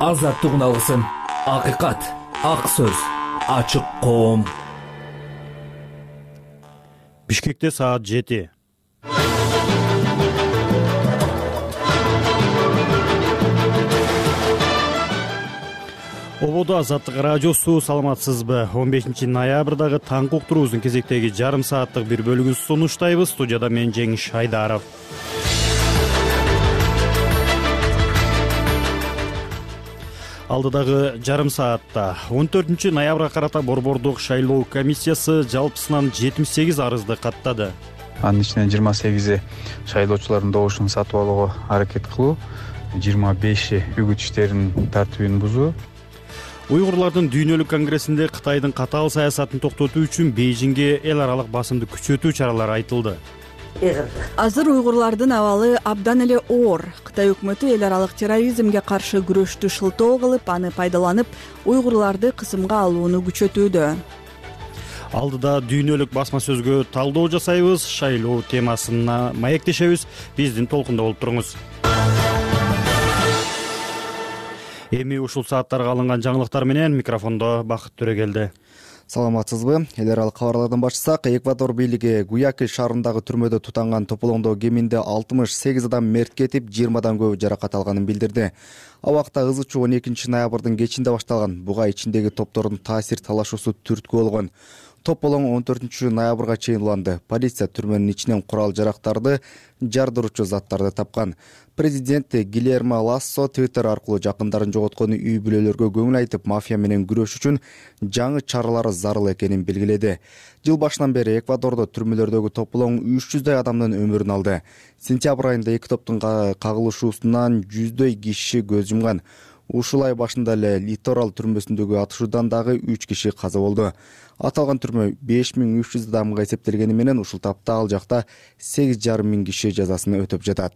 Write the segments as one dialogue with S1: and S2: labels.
S1: Азаттыгын алгысың. Акыйкат, ак сөз, ачык коом.
S2: Бишкекте саат 7. Ободо Азаттык радиосу, саламатсызбы? 15 ноябрдагы таңкы уктуруубуздун кезектеги жарым сааттык бир бөлүгүн сунуштайбыз. Студияда мен Жеңиш Айдаров. Алдыдагы жарым саатта 14 ноябрга карата Борбордук шайлоо комиссиясы жалпысынан 78 арызды каттады.
S3: Анын ичинен 28 шайлоочулардын добушун сатып алууга аракет кылуу, 25 үгүт иштеринин тартибин бузуу.
S2: Уйгурлардын дүйнөлүк конгрессинде Кытайдын катаал саясатын токтотуу үчүн Бейжиңге эл аралык басымды күчөтүү чаралары айтылды.
S4: Азыр уйгурлардын абалы абдан эле оор. Кытай өкмөтү эл аралык терроризмге каршы күрөштү шылтоо кылып, аны пайдаланып, уйгурларды кысымга алууну күчөтүүдө.
S2: Алдыда дүйнөлүк басма сөзгө талдоо жасайбыз, шайлоо темасына маектешебиз. Биздин толкунда болуп туруңуз. Эми ушул сааттарга алынган жаңылыктар менен микрофондо Бакыт Төрөгелди.
S5: Саламатсызбы? Эл аралык кабарлардан баштасак, Эквадор бийлиги Гуякиль шаарындагы түрмөдө тутанган тополоңдоо кеминде 68 адам мерт кетип, 20 көбү жаракат алганын билдирди. Абакта ыз учуу 12 ноябрдын кечинде башталган. Буга ичиндеги топтордун таасир талашуусу түрткү болгон. Тополоң 14 ноябрга чейин уланды. Полиция түрмөнүн ичинен курал жарактарды, жардыруучу заттарды тапкан. Президент Гильермо Лассо Твиттер аркылуу жакындарын жоготкон үй бүлөлөргө көңүл айтып, мафия менен күрөш үчүн жаңы чаралар зарыл экенин белгиледи. Жыл башынан бери Эквадордо түрмөлөрдөгү тополоң 300дөй адамдын өмүрүн алды. Сентябрь айында эки топтун кагылышуусунан 100дөй киши көз жумган. Ушул ай башында эле Литорал түрмөсүндөгү атышуудан дагы 3 киши каза болду. Аталган түрмө 5300 адамга эсептелгени менен ушул тапта ал жакта 8500 киши жазасын өтөп жатат.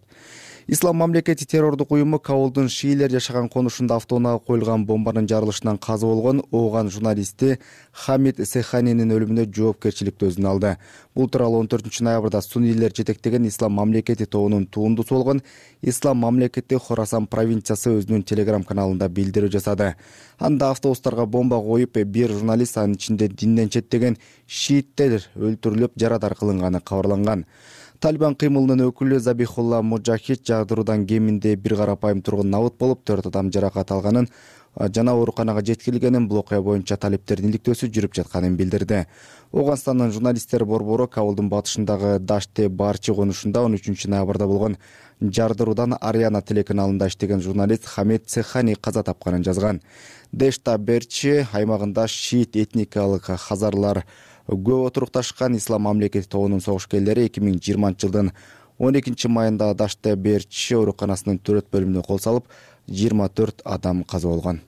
S5: Ислам мамлекети террордук уюму Кабулдун шиилер жашаган конушунда автоунаага коюлган бомбанын жарылышынан каза болгон ооган журналисти Хамид Сеханинин өлүмүнө жоопкерчиликти өзүнө алды. Бул тууралуу 14 ноябрда суннийлер жетектеген Ислам мамлекети тобунун туундусу болгон Ислам мамлекети Хорасан провинциясы өзүнүн телеграм-каналында билдирүү жасады. Анда автобустарга бомба коюп, бир журналист, анын ичинде динден четтеген шииттер өлтүрүлүп, жарадар кылынганы кабарланган. Талибан кыймылынын өкүлү Забихулла Муджахид жагдыруудан кеминде бир карапайым тургун набыт болуп, 4 адам жаракат алганын жана ооруканага жеткирилгенин, бул окуя боюнча талиптердин иликтөөсү жүрүп жатканын билдирди. Оганстандын журналисттер борбору Кабулдун батышындагы Даште Барчи конушунда 13 ноябрда болгон жардыруудан Ариана телеканалында иштеген журналист Хамид Сехани каза тапканын жазган. Дешта Берчи аймагында шиит этникалык хазарлар көп отурукташкан. Ислам мамлекети тобунун согушкерлери 2020 жылдын 12 майында Даште Берчи ооруканасынын төрөт бөлүмүнө кол салып, 24 адам каза болгон.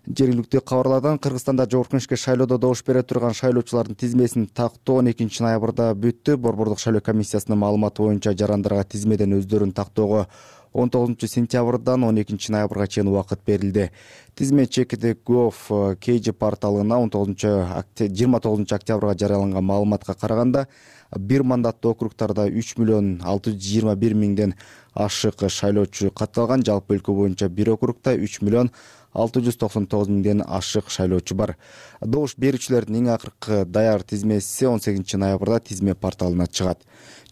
S5: Жергиликтүү кабарлардан Кыргызстанда Жогорку Кеңешке шайлоодо добуш бере турган шайлоочулардын тизмесин тактоо 12 ноябрда бүттү. Борбордук шайлоо комиссиясынын маалыматы боюнча жарандарга тизмеден өздөрүн тактоого 19 сентябрдан 12 ноябрга чейин убакыт берилди. Тизме Check.gov KG порталына 29 октябрга жарыяланган маалыматка караганда, бир мандаттуу округтарда 3 миллион 621 миңден ашык шайлоочу катталган. Жалпы өлкө боюнча бир округда 3 миллион 699 миңден ашык шайлоочу бар. Добуш берүүчүлөрдүн эң акыркы даяр тизмеси 18 ноябрда тизме порталына чыгат.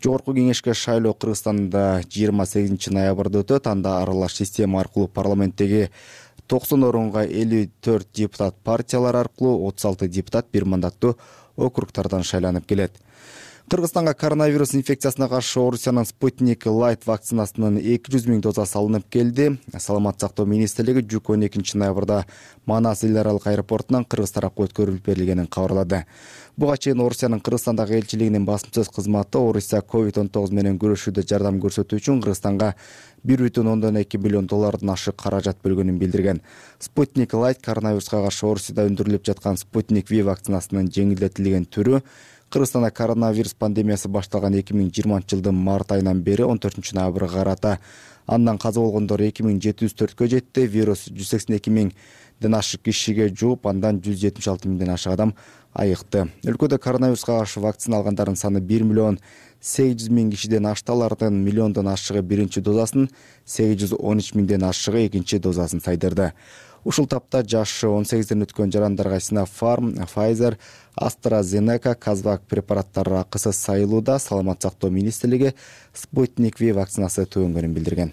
S5: Жогорку Кеңешке шайлоо Кыргызстанда 28 ноябрда өтөт. Анда аралаш система аркылуу парламенттеги 90 орунга 54 депутат партиялар аркылуу, 36 депутат бир мандаттуу округтардан шайланып келет. Кыргызстанга коронавирус инфекциясына каршы Орусиянын Спутник Light вакцинасынын 200 миң дозасы алынып келди. Саламат сактоо министрлиги жүк 12 ноябрда Манас эл аралык аэропортунан Кыргыз тарапка өткөрүлүп берилгенин кабарлады. Буга чейин Орусиянын Кыргызстандагы элчилигинин басма сөз кызматы Орусия COVID-19 менен күрөшүүдө жардам көрсөтүү үчүн Кыргызстанга 1,2 миллион доллардан ашык каражат бөлгөнүн билдирген. Спутник Light коронавируска каршы Орусияда өндүрүлүп жаткан Спутник V вакцинасынын жеңилдетилген түрү Кыргызстанда коронавирус пандемиясы башталган 2020-жылдын март айынан бери 14 ноябрга карата андан каза болгондор 2704кө жетти. Вирус 182.000ден ашык кишиге жугуп, андан 176.000ден ашык адам айыкты. Өлкөдө коронавируска каршы вакцина алгандардын саны 1.800.000 кишиден ашты. Алардын миллиондон ашыгы биринчи дозасын, 813.000ден ашыгы экинчи дозасын сайдырды. Ушул тапта жашы 18ден өткөн жарандарга Sinopharm, Pfizer, AstraZeneca, Kazvak препараттары акысы сайылууда. Саламат сактоо министрлиги Sputnik V вакцинасы төгөнгөнүн билдирген.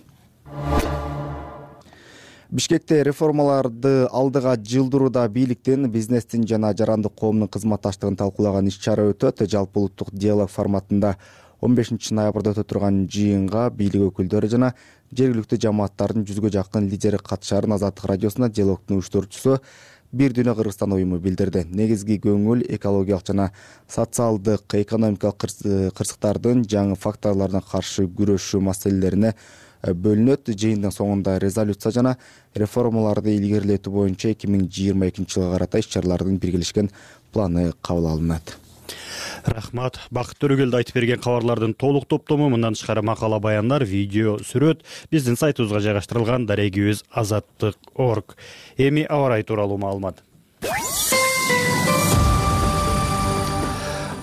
S5: Бишкекте реформаларды алдыга жылдырууда бийликтин, бизнестин жана жарандык коомдун кызматташтыгын талкуулаган иш-чара өтөт. Жалпы улуттук диалог форматында 15 ноябрда өтө турган жыйынга бийлик өкүлдөрү жана жергиликтүү жамааттардын 100гө жакын лидери катышарын Азаттык радиосуна диалогдун уюштуруучусу Бир дүйнө Кыргызстан уюму билдирди. Негизги көңүл экологиялык жана социалдык, экономикалык кырсыктардын жаңы факторлордун каршы күрөшүү маселелерине бөлүнөт. Жыйындын соңунда резолюция жана реформаларды илгерилетүү боюнча 2022-жылга карата иш-чаралардын биргелешкен планы кабыл алынат.
S2: Рахмат. Бакыт Төрөгелди айтып берген кабарлардын толук топтому, мындан тышкары макала, баяндар, видео, сүрөт биздин сайтыбызга жайгаштырылган. Дарегибиз azattik.org. Эми аба ырайы тууралуу маалымат.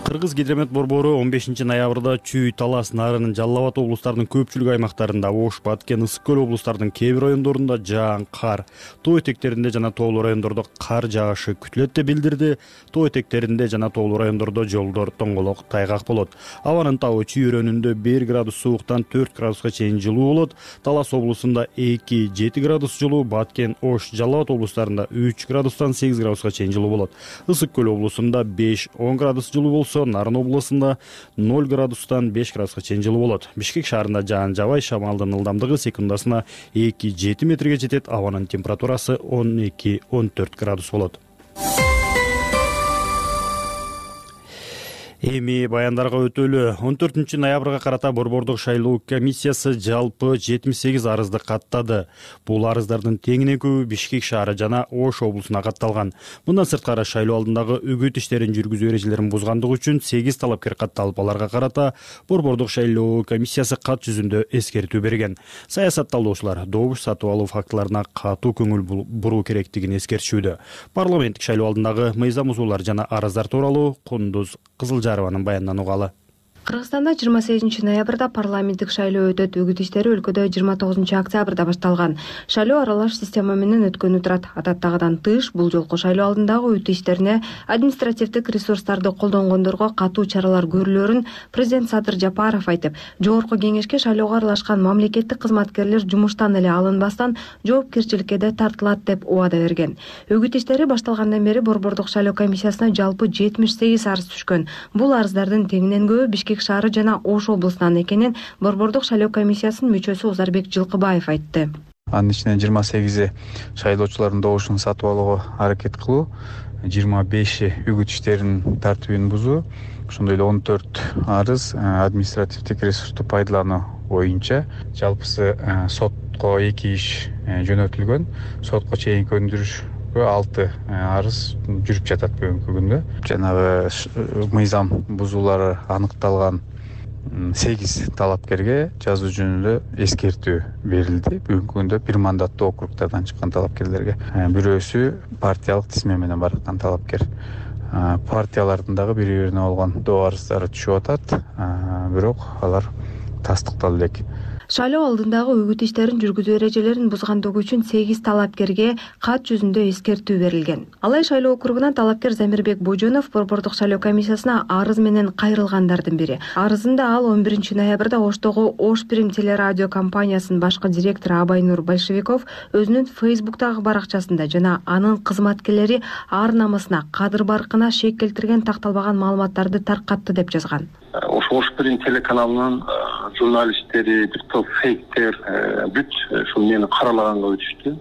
S2: Кыргыз гидромет борбору 15 ноябрда Чүй, Талас, Нарын, Жалал Абад облустарынын көпчүлүк аймактарында, Ош, Баткен, Ысык көл облустарынын кээ бир райондорунда жаан, кар, тоо этектеринде жана тоолуу райондордо кар жаагышы күтүлөт деп билдирди. Тоо этектеринде жана тоолуу райондордо жолдор тоңголок, тайгак болот. Абанын табы Чүй өрөөнүндө 1 градус сууктан 4 градуска чейин жылуу болот. Талас облусунда 2-7 градус жылуу, Баткен, Ош, Жалал Абад облустарында 3 градустан 8 градуска чейин жылуу болот. Ысык көл облусунда 5-10 градус жылуу болсо, Нарын облусунда 0 градустан 5 градуска чейин жылуу болот. Бишкек шаарында жаан жабай, шамалдын ылдамдыгы секундасына 2-7 метрге жетет. Абанын температурасы 12-14 градус болот. Эми баяндарга өтөлү. 14 ноябрга карата Борбордук шайлоо комиссиясы жалпы 78 арызды каттады. Бул арыздардын теңинен көбү Бишкек шаары жана Ош облусуна катталган. Мындан сырткары шайлоо алдындагы үгүт иштерин жүргүзүү эрежелерин бузгандыгы үчүн 8 талапкер катталып, аларга карата Борбордук шайлоо комиссиясы кат жүзүндө эскертүү берген. Саясатталуучулар добуш сатып алуу фактыларына катуу көңүл буруу керектигин эскертишүүдө. Парламенттик шайлоо алдындагы мыйзам бузуулар жана арыздар тууралуу Кундуз Кызылжарованын баянынан угалы.
S6: Кыргызстанда 28 ноябрда парламенттик шайлоо өтөт. Үгүт иштери өлкөдө 29 октябрда башталган. Шайлоо аралаш система менен өткөнү турат. Адаттагыдан тыш бул жолку шайлоо алдындагы үгүт иштерине административдик ресурстарды колдонгондорго катуу чаралар көрүлөрүн президент Садыр Жапаров айтып, жогорку кеңешке шайлоого аралашкан мамлекеттик кызматкерлер жумуштан эле алынбастан жоопкерчиликке да тартылат деп убада берген. Үгүт иштери башталгандан бери Борбордук шайлоо комиссиясына жалпы 78 арыз түшкөн. Бул арыздардын теңинен көбү Бишкек шаары жана Ош облусунан экенин Борбордук шайлоо комиссиясынын мүчөсү Узарбек Жылкыбаев айтты.
S3: Анын ичинен 28 шайлоочулардын добушун сатып алууга аракет кылуу, 25 үгүт иштеринин тартибин бузуу, ошондой эле 14 арыз административдик ресурсту пайдалануу боюнча. Жалпысы сотко 2 иш жөнөтүлгөн. Сотко чейинки өндүрүшкө 6 арыз жүрүп жатат бүгүнкү күндө. Жанагы мыйзам бузуулары аныкталган 8 талапкерге жазуу жөнүндө эскертүү берилди. Бүгүнкү күндө бир мандаттуу округдардан чыккан талапкерлерге. Бирөөсү партиялык тизме менен бараткан талапкер. Партиялардын дагы бири-бирине болгон доо арыздары түшүп атат, бирок алар тастыкталды элек.
S6: Шайлоо алдындагы үгүт иштерин жүргүзүү эрежелерин бузгандыгы үчүн 8 талапкерге кат жүзүндө эскертүү берилген. Алай шайлоо округунан талапкер Замирбек Божонов Борбордук шайлоо комиссиясына арыз менен кайрылгандардын бири. Арызында ал 11 ноябрда Оштогу Ош Прим телерадио компаниясынын башкы директору Абайнур Большевиков өзүнүн Фейсбуктагы баракчасында жана анын кызматкерлери ар намысына, кадыр-баркына шек келтирген такталбаган маалыматтарды таркатты деп жазган.
S7: Ош Прим телеканалынын журналисттери, бир топ фейктер бүт ушул мени каралаганга өтүштү.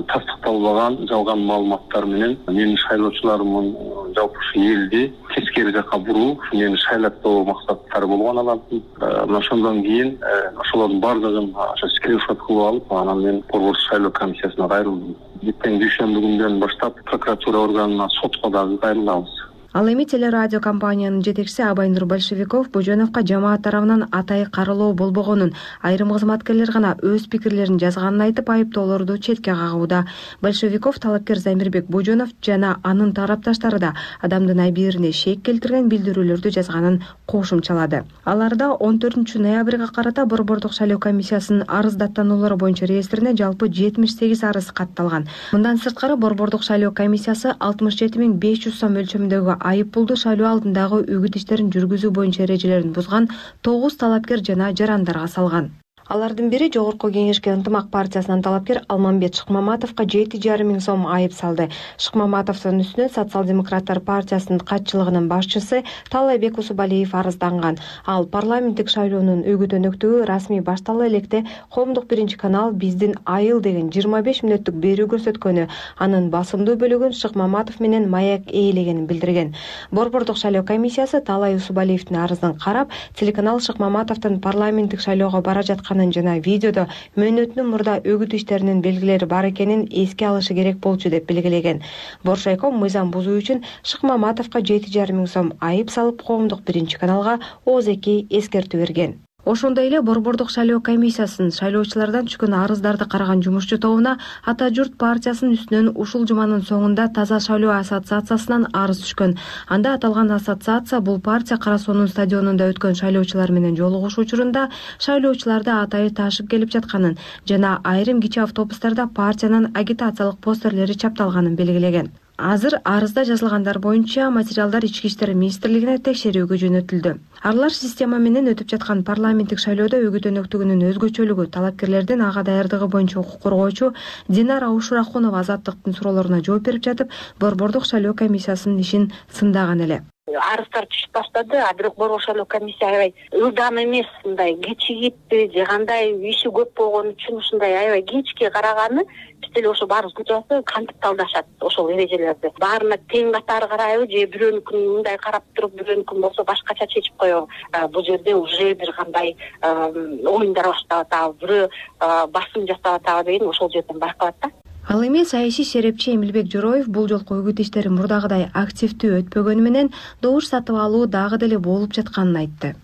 S7: Тастыкталбаган жалган маалыматтар менен менин шайлоочуларымдын жалпы ушу элди тескери жакка буруу, мени шайлаттоо максаттары болгон алардын. Мына ошондон кийин ошолордун бардыгын скриншот кылып алып, анан мен Борбордук шайлоо комиссиясына кайрылдым. Эртең дүйшөмбү күндөн баштап прокуратура органына, сотко дагы кайрылабыз.
S6: Ал эми телерадио компаниянын жетекчиси Абайнур Большевиков Боженовго жамаат тарабынан атайы каралоо болбогонун, айрым кызматкерлер гана өз пикирлерин жазганын айтып, айыптоолорду четке кагууда. Большевиков талапкер Замирбек Боженов жана анын тарапташтары да адамдын абийирине шек келтирген билдирүүлөрдү жазганын кошумчалады. Аларда 14 ноябрга карата Борбордук шайлоо комиссиясынын арыз даттануулары боюнча реестрине жалпы 78 арыз катталган. Мындан сырткары Борбордук шайлоо комиссиясы 67500 сом өлчөмүндөгү айып пулду шайлоо алдындагы үгүт иштерин жүргүзүү боюнча эрежелерин бузган 9 талапкер жана жарандарга салган. Алардын бири Жогорку Кеңешке ынтымак партиясынын талапкер Алмамбет Шыкмаматовго 7,5 миң сом айып салды. Шыкмаматовдун үстүнө Социал-демократтар партиясынын катчылыгынын башчысы Талайбек Усубалиев арызданган. Ал парламенттик шайлоонун үгүт өнөктүгү расмий баштала электе Коомдук биринчи канал биздин айыл деген 25 мүнөттүк берүү көрсөткөнү, анын басымдуу бөлүгүн Шыкмаматов менен Маяк ээлегенин билдирген. Борбордук шайлоо комиссиясы Талай Усубалиевдин арызын карап, телеканал Шыкмаматовдун парламенттик шайлоого бара жаткан жана видеодо мөөнөтүнүн мурда үгүт иштеринин белгилери бар экенин эске алышы керек болчу деп белгилеген. Боршайком мыйзам бузуу үчүн Шыкмаматовго 7,5 миң сом айып салып, Коомдук биринчи каналга ооз-2 эскертүү берген. Ошондой эле Борбордук шайлоо комиссиясынын шайлоочулардан түшкөн арыздарды караган жумушчу тобуна Ата журт партиясынын үстүнөн ушул жуманын соңунда Таза шайлоо ассоциациясынан арыз түшкөн. Анда аталган ассоциация бул партия Кара Соонун стадионунда өткөн шайлоочулар менен жолугушуу учурунда шайлоочуларды атайы ташып келип жатканын жана айрым кичи автобустарда партиянын агитациялык постерлери чапталганын белгилеген. Азыр арызда жазылгандар боюнча материалдар Ички иштер министрлигине текшерүүгө жөнөтүлдү. Аралаш система менен өтүп жаткан парламенттик шайлоодо үгүт өнөктүгүнүн өзгөчөлүгү, талапкерлердин ага даярдыгы боюнча укук коргоочу Динара Ушурахунова Азаттыктын суроолоруна жооп берип жатып, Борбордук шайлоо комиссиясынын ишин сындаган эле.
S8: Арыздар түшүп баштады, бирок Борбордук шайлоо комиссия аябай ылдам эмес, мындай кичигитти же кандай иши көп болгон үчүн ушундай аябай кечке караганы, биз деле ошо баарыбыз күтүп кантип талдашат ошол эрежелерди. Баарына тең катары карайбы же бирөөнүкүн мындай карап туруп, бирөөнүкүн болсо башкача чечип коебу. Бул жерде уже бир кандай оюндар башталып атабы, бирөө басым жасап атабы деген ошол жерден байкалат да.
S6: Ал эми саясий серепчи Эмилбек Жороев бул жолку үгүт иштери мурдагыдай активдүү өтпөгөнү менен добуш сатып алуу дагы деле болуп жатканын айтты.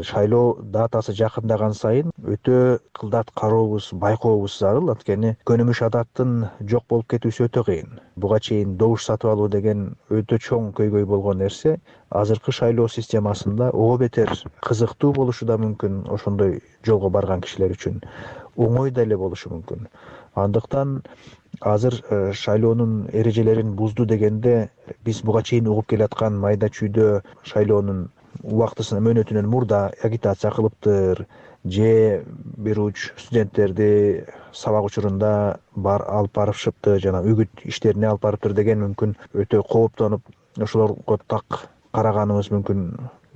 S9: Шайлоо датасы жакындаган сайын өтө кылдат карообуз, байкообуз зарыл. Анткени көнүмүш адаттын жок болуп кетүүсү өтө кыйын. Буга чейин добуш сатып алуу деген өтө чоң көйгөй болгон нерсе азыркы шайлоо системасында ого бетер кызыктуу болушу да мүмкүн. Ошондой жолго барган кишилер үчүн оңой да эле болушу мүмкүн. Андыктан азыр шайлоонун эрежелерин бузду дегенде биз буга чейин угуп келаткан майда чүйдө шайлоонун убактысына мөөнөтүнөн мурда агитация кылыптыр же бир уч студенттерди сабак учурунда алып барышыптыр жана үгүт иштерине алып барыптыр деген мүмкүн өтө кооптонуп ошолорго так караганыбыз мүмкүн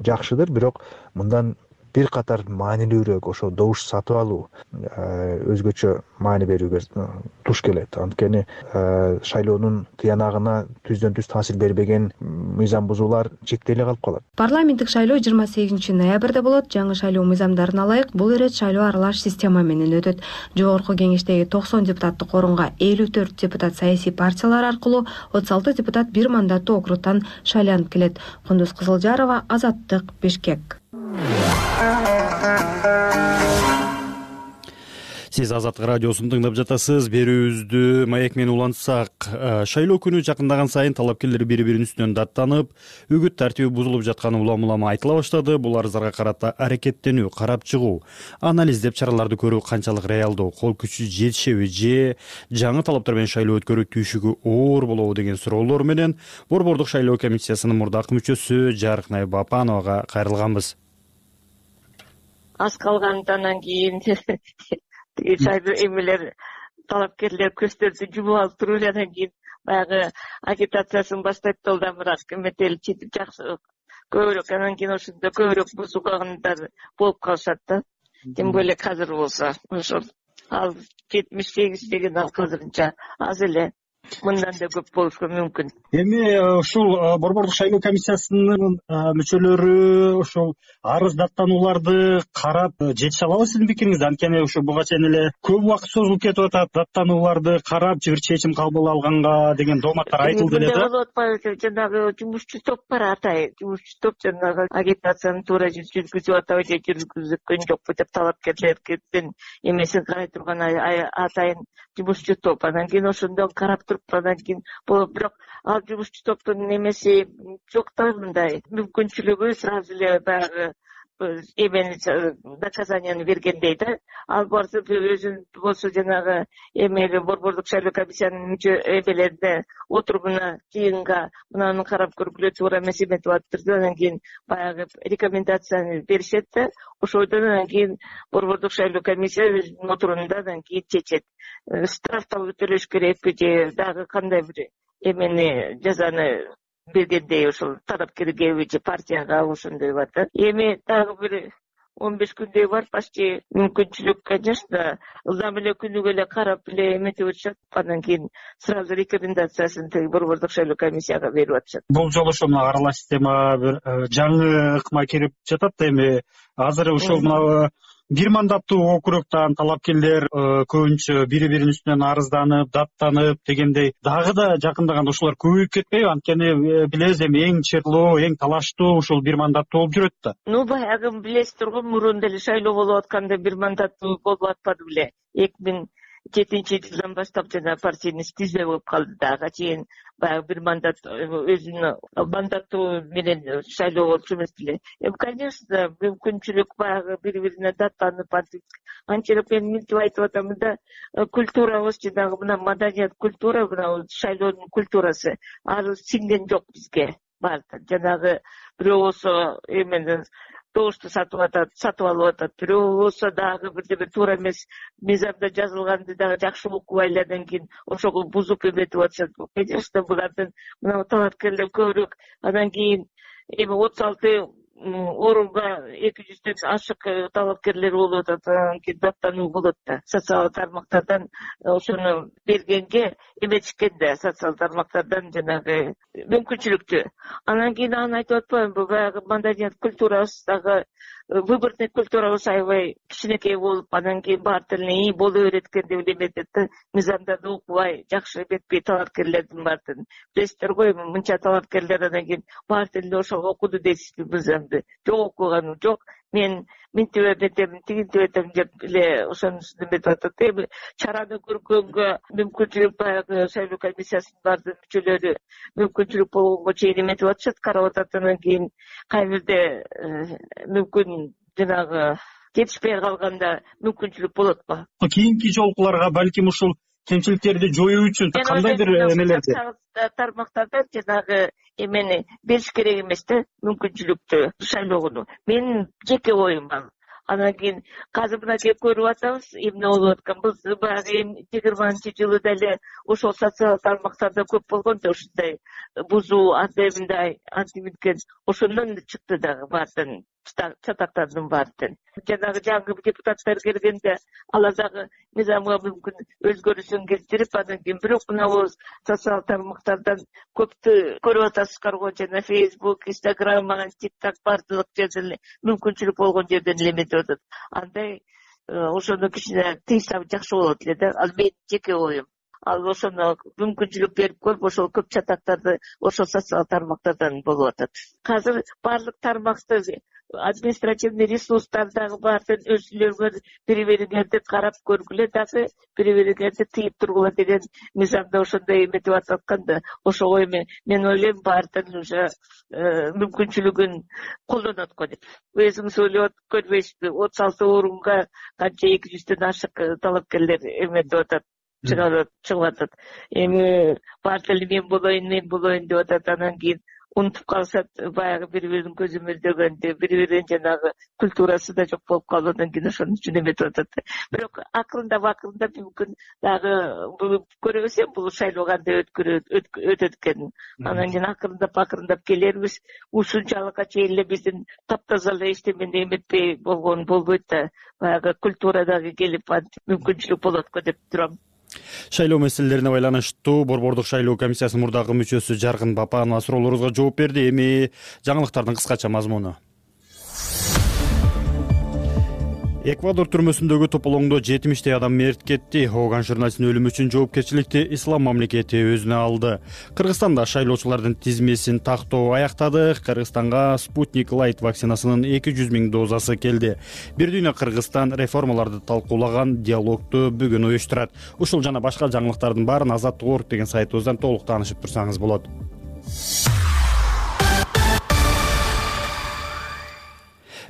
S9: жакшыдыр. Бирок мындан бир катар маанилүүрөөк ошо добуш сатып алуу өзгөчө маани берүүгө туш келет. Анткени шайлоонун тыянагына түздөн түз таасир бербеген мыйзам бузуулар чектеле калып калат.
S6: Парламенттик шайлоо 28 ноябрда болот. Жаңы шайлоо мыйзамдарына ылайык бул ирет шайлоо аралаш система менен өтөт. Жогорку Кеңештеги 90 депутаттык орунга 54 депутат саясий партиялар аркылуу, 36 депутат бир мандаттуу округтан шайланып келет. Кундуз Кызылжарова, Азаттык, Бишкек.
S2: Сиз Азаттык радиосун тыңдап жатасыз. Берүүбүздү Маек менен улантсак, шайлоо күнү жакындаган сайын талапкерлер бири-биринин үстүнөн даттанып, үгүт тартиби бузулуп жатканы улам-улам айтыла баштады. Бул арыздарга карата аракеттенүү, карап чыгуу, анализдеп чараларды көрүү канчалык реалдуу, кол күчү жетишеби же жаңы талаптар менен шайлоо өткөрүү түйшүгү оор болобу деген суроолор менен Борбордук шайлоо комиссиясынын мурдакы мүчөсү Жарык Найбапановага кайрылганбыз.
S10: Аз калгандан кийин шайлоо эмелер талапкерлер көздөрүн жумуп алып туруп анан кийин баягы агитациясын баштайт да, бирок эметели четип жакшы көбүрөөк анан кийин ошондо көбүрөөк бузулгандар болуп калышат да. Тем более азыр болсо ошол ал 78 деген ал азырынча аз эле. мындан да көп болушу мүмкүн.
S2: Эми ушул борбордук шайлоо комиссиясынын мүчөлөрү ушул арыз даттанууларды карап жетише алабы сиздин пикириңизде? Анткени ушу буга чейин эле көп убакыт созулуп кетип атат, даттанууларды карап бир чечим кабыл алганга деген дооматтар айтылды эле да.
S10: Болуп атпайбы, жанагы жумушчу топ бар, атай жумушчу топ жанагы агитацияны туура жүргүзүп атабы же жүргүзүлгөн жокпу деп талапкерлердин эмесин карай турган атайын жумушчу топ. Анан кийин ошондон карап туруп анан кийин болот. Бирок ал жумушчу топтун эмеси жок да, мындай мүмкүнчүлүгү сразу эле баягы эмени наказанияны бергендей да. Ал барса өзүн болсо жанагы эмели борбордук шайлоо комиссиянын мүчө эмелерине отурумуна жыйынга мынаны карап көргүлө туура эмес эметип атыптыр. Анан кийин баягы рекомендацияны беришет да. Ошойдон анан кийин борбордук шайлоо комиссия өзүнүн отурумунда анан кийин чечет. Штрафтабы төлөш керекпи же дагы кандай бир эмени жазаны бергендей ошол талапкерге же партияга ошондой бар да. Эми дагы бир 15 күндөй бар, почти мүмкүнчүлүк, конечно, ылдам эле күнүгө эле карап эле эметип атышат. Андан кийин сразу рекомендациясын борбордук шайлоо комиссияга берип атышат.
S2: Бул жолу ошо мына аралаш система бир жаңы ыкма кирип жатат. Эми азыр ушул мына бир мандаттуу округтан талапкерлер көбүнчө бири-биринин үстүнөн арызданып, даттанып дегендей дагы да жакындаганда ушулар көбөйүп кетпейби? Анткени билебиз эми эң чырлуу, эң талаштуу ушул бир мандаттуу болуп жүрөт да.
S10: Баягы билесиздер го, мурун деле шайлоо болуп атканда бир мандаттуу болуп атпады беле. 2007-жылдан баштап жана партийный тизме болуп калды дагы. Чейин баягы бир мандат өзүнүн мандаттуу менен шайлоо болчу эмес беле. Конечно, мүмкүнчүлүк баягы бири-бирине даттанып анчалык мен мынтип айтып атам да, культурабыз жанагы мына маданият культура, мына шайлоонун культурасы ары сиңген жок бизге. Бар жанагы бирөө болсо эмени добушту сатып алып атат, бирөө болсо дагы бирдеме туура эмес мыйзамда жазылганды дагы жакшы окубай эле андан кийин ошого бузуп эметип атышат. Конечно, булардын мына талапкерлер көбүрөөк андан кийин эми 36 орунга 200дөн ашык талапкерлер болуп атат. Анан кийин даттануу болот да. Социалдык тармактардан ошону бергенге эметишкен да, социалдык тармактардан жанагы мүмкүнчүлүктү. Анан кийин аны айтып атпаймынбы, баягы маданият культурабыз дагы выборный культурабыз аябай кичинекей болуп, анан кийин баары тилине ий боло берет экен деп эметет да. Мыйзамдарды окубай, жакшы эметпей талапкерлердин баардыгын. Билесиздер го, эми мынча талапкерлер анан кийин баары тилинде ошого окуду дейсизби мыйзамды. Жок, окуганым жок. Мен мынтип эметем, тигинтип этем деп эле ошонусун эметип атат. Эми чараны көргөнгө мүмкүнчүлүк баягы шайлоо комиссиясынын баардык мүчөлөрү мүмкүнчүлүк болгонго чейин эметип атышат, карап атат. Анан кийин кай бирде мүмкүн жанагы жетишпей калганда мүмкүнчүлүк болотпу?
S2: Кийинки жолкуларга балким ушул кемчиликтерди жоюу үчүн кандайдыр эмелерди
S10: тармактардан жанагы эмени бериш керек эмес да, мүмкүнчүлүктү шайлоогону. Менин жеке оюм ал. Анан кийин азыр мына келип көрүп атабыз эмне болуп атканбыз. Баягы 20-жылы деле ошол социалдык тармактарда көп болгон да ушундай бузуу, антимындай, антиминткен. Ошондон чыкты дагы баардын чатактардын баардын. Жанагы жаңы депутаттар келгенде алар дагы мыйзамга мүмкүн өзгөрүүсүн келтирип, анан кийин бирок мына социалдык тармактардан көптү көрүп атасыздар го, жана Facebook, Instagram, TikTok баардык жерден мүмкүнчүлүк болгон жерден эле эметип атат. Андай ошону кичине тыйса жакшы болот эле да. Ал менин жеке оюм. Ал ошону мүмкүнчүлүк берип көрүп, ошол көп чатактарды ошол социалдык тармактардан болуп атат. Азыр баардык тармакты административный ресурстардагы баардык өзүлөрүңөр бири-бириңерди карап көргүлө, дагы бири-бириңерди тыйып тургула деген мыйзамда ошондой эметип атканда, ошого эми мен ойлойм баардык уже мүмкүнчүлүгүн колдонот го деп. Өзүңүз ойлоп көрбөйсүзбү, 36 орунга канча 200дөн ашык талапкерлер эметип атат, чыгып атат. Эми баары эле мен болоюн деп атат. Анан кийин унутуп калышат, баягы бири-биринин көзү мөлдөгөндү, бири-биринин жанагы культурасы да жок болуп калып, анан кийин ошонун үчүн эметип атат. Бирок акырындап мүмкүн дагы көрөбүз бул шайлоо кандай өтөт экенин. Анан кийин акырындап келербиз. Ушунчалыкка чейин эле биздин таптаза эле эчтемени эметпей болгон болбойт да. Баягы культура дагы келип мүмкүнчүлүк болот го деп турам.
S2: Шайлоо маселелерине байланыштуу Борбордук шайлоо комиссиясынын мурдагы мүчөсү Жаркын Бапанова суроолорубузга жооп берди. Эми жаңылыктардын кыскача мазмуну. Эквадор түрмөсүндөгү тополоңдо 70 адам мерт кетти. Ооган журналисттин өлүмү үчүн жоопкерчиликти ислам мамлекети өзүнө алды. Кыргызстанда шайлоочулардын тизмесин тактоо аяктады. Кыргызстанга Спутник Light вакцинасынын 200 000 дозасы келди. Бир дүйнө Кыргызстан реформаларды талкуулаган диалогду бүгүн уюштурат. Ушул жана башка жаңылыктардын баарын Азаттык.орг деген сайтыбыздан толук таанышып турсаңыз болот.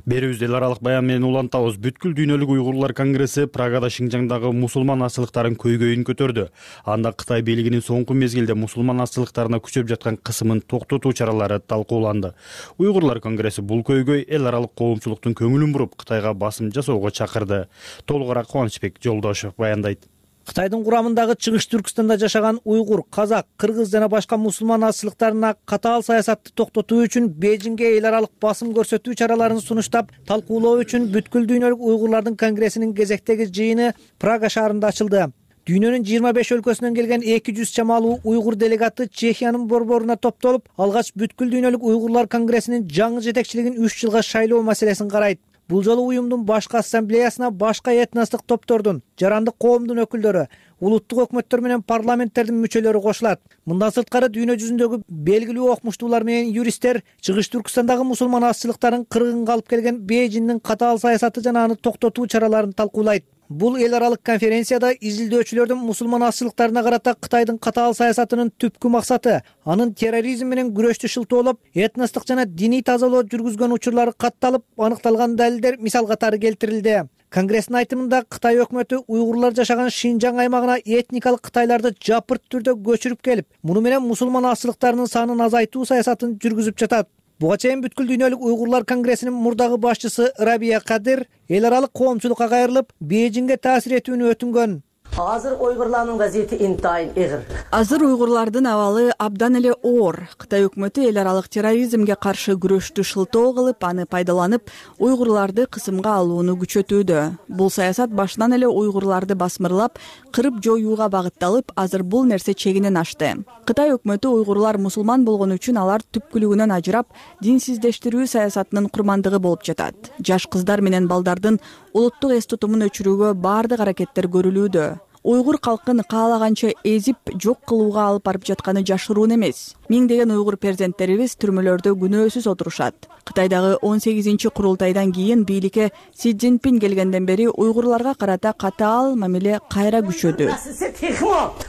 S2: Берүүбүздү эл аралык баян менен улантабыз. Бүткүл дүйнөлүк уйгурлар конгресси Прагада Шинжаңдагы мусулман азчылыктарын көйгөйүн көтөрдү. Анда Кытай бийлигинин соңку мезгилде мусулман азчылыктарына күчөп жаткан кысымын токтотуу чаралары талкууланды. Уйгурлар конгресси бул көйгөй эл аралык коомчулуктун көңүлүн буруп, Кытайга басым жасоого чакырды. Толугураак Кубанычбек Жолдошев баяндайт.
S11: Кытайдын курамындагы Чыгыш Түркстанда жашаган уйгур, казак, кыргыз жана башка мусулман азчылыктарына катаал саясатты токтотуу үчүн Бейжиңге эл аралык басым көрсөтүү чараларын сунуштап, талкуулоо үчүн бүткүл дүйнөлүк уйгурлардын конгрессинин кезектеги жыйыны Прага шаарында ачылды. Дүйнөнүн 25 өлкөсүнөн келген 200 чамалуу уйгур делегаты Чехиянын борборуна топтолуп, алгач бүткүл дүйнөлүк уйгурлар конгрессинин жаңы жетекчилигин 3 жылга шайлоо маселесин карайт. Бул жолу уюмдун башкы ассамблеясына башка этностук топтордун, жарандык коомдун өкүлдөрү, улуттук өкмөттөр менен парламенттердин мүчөлөрү кошулат. Мындан сырткары дүйнө жүзүндөгү белгилүү окумуштуулар менен юристтер Чыгыш Түркстандагы мусулман азчылыктарын кыргынга алып келген Бейжиңдин катаал саясаты жана аны токтотуу чараларын талкуулайт. Бул эл аралык конференцияда изилдөөчүлөрдүн мусулман азчылыктарына карата Кытайдын катаал саясатынын түпкү максаты, анын терроризм менен күрөштү шылтоолоп, этностук жана диний тазалоо жүргүзгөн учурлары катталып, аныкталган далилдер мисал катары келтирилди. Конгресстин айтымында Кытай өкмөтү уйгурлар жашаган Шинжаң аймагына этникалык кытайларды жапырт түрдө көчүрүп келип, муну менен мусулман азчылыктарынын санын азайтуу саясатын жүргүзүп жатат. Буга чейин бүткүл дүйнөлүк уйгурлар конгрессинин мурдагы башчысы Рабия Кадыр эл аралык коомчулукка кайрылып, Бейжиңге таасир этүүнү өтүнгөн.
S12: Азыр уйгурлардын вазиети интайын эгир.
S4: Азыр уйгурлардын абалы абдан эле оор. Кытай өкмөтү эл аралык терроризмге каршы күрөштү шылтоо кылып, аны пайдаланып, уйгурларды кысымга алууну күчөтүүдө. Бул саясат башынан эле уйгурларды басмырлап, кырып жоюуга багытталып, азыр бул нерсе чегинен ашты. Кытай өкмөтү уйгурлар мусулман болгону үчүн алар түпкүлүгүнөн ажырап, динсиздештирүү саясатынын курмандыгы болуп жатат. Жаш кыздар менен балдардын улуттук эс тутумун өчүрүүгө баардык аракеттер көрүлүүдө. Уйгур калкын каалаганча эзип, жок кылууга алып барып жатканы жашыруун эмес. Миңдеген уйгур перзенттерибиз түрмөлөрдө күнөөсүз отурушат. Кытайдагы 18 курултайдан кийин бийликке Си Цзиньпин келгенден бери уйгурларга карата катаал мамиле кайра күчөдү.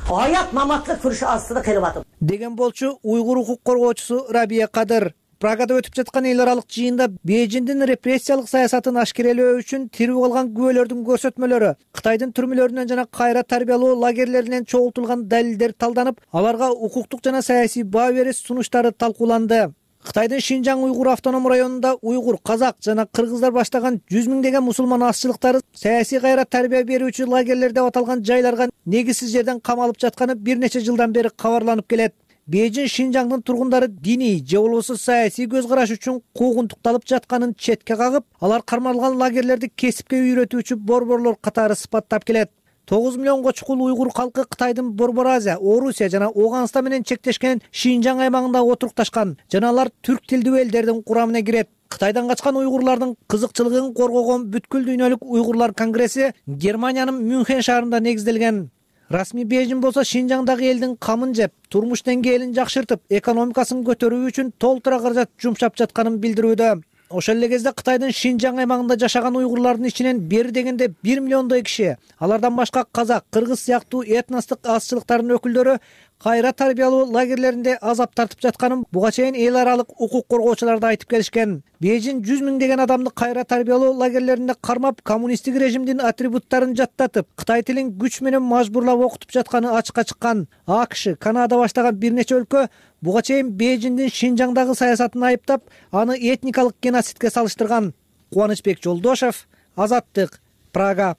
S12: Аят маматлык күрүш астында калып атат.
S11: Деген болчу уйгур укук коргоочусу Рабия Кадыр. Прагада өтүп жаткан эл аралык жыйында Бейжиңдин репрессиялык саясатын ашкерелөө үчүн тирүү калган күбөлөрдүн көрсөтмөлөрү, Кытайдын түрмөлөрүнөн жана кайра тарбиялоо лагерлеринен чогултулган далилдер талданып, аларга укуктук жана саясий баа бериш сунуштары талкууланды. Кытайдын Шинжаң уйгур автоном районунда уйгур, казак жана кыргыздар баштаган 100 000 мусулман азчылыктары саясий кайра тарбия берүүчү лагерлер деп аталган жайларга негизсиз жерден камалып жатканы бир нече жылдан бери кабарланып келет. Бейжиң Шинжаңдын тургундары диний же болбосо саясий көз караш үчүн куугунтукталып жатканын четке кагып, алар кармалган лагерлерди кесипке үйрөтүүчү борборлор катары сыпаттап келет. 9 миллионго чукул уйгур калкы Кытайдын Борбор Азия, Орусия жана Ооганстан менен чектешкен Шинжаң аймагында отурукташкан жана алар түрк тилдүү элдердин курамына кирет. Кытайдан качкан уйгурлардын кызыкчылыгын коргогон бүткүл дүйнөлүк уйгурлар конгресси Германиянын Мюнхен шаарында негизделген. Расмий Бейжиң болсо Шинжаңдагы элдин камын жеп, турмуш деңгээлин жакшыртып, экономикасын көтөрүү үчүн толтура каражат жумшап жатканын билдирүүдө. Ошол эле кезде Кытайдын Шинжаң аймагында жашаган уйгурлардын ичинен бери дегенде 1 миллиондой киши, алардан башка казак, кыргыз сыяктуу этностук азчылыктардын өкүлдөрү кайра тарбиялоо лагерлеринде азап тартып жатканын буга чейин эл аралык укук коргоочулар да айтып келишкен. Бейжиң 100 000 адамды кайра тарбиялоо лагерлеринде кармап, коммунисттик режимдин атрибуттарын жаттатып, Кытай тилин күч менен мажбурлап окутуп жатканы ачыкка чыккан. АКШ, Канада баштаган бир нече өлкө буга чейин Бейжиңдин Шинжаңдагы саясатын айыптап, аны этникалык геноцидке салыштырган. Кубанычбек Жолдошев, Азаттык, Прага.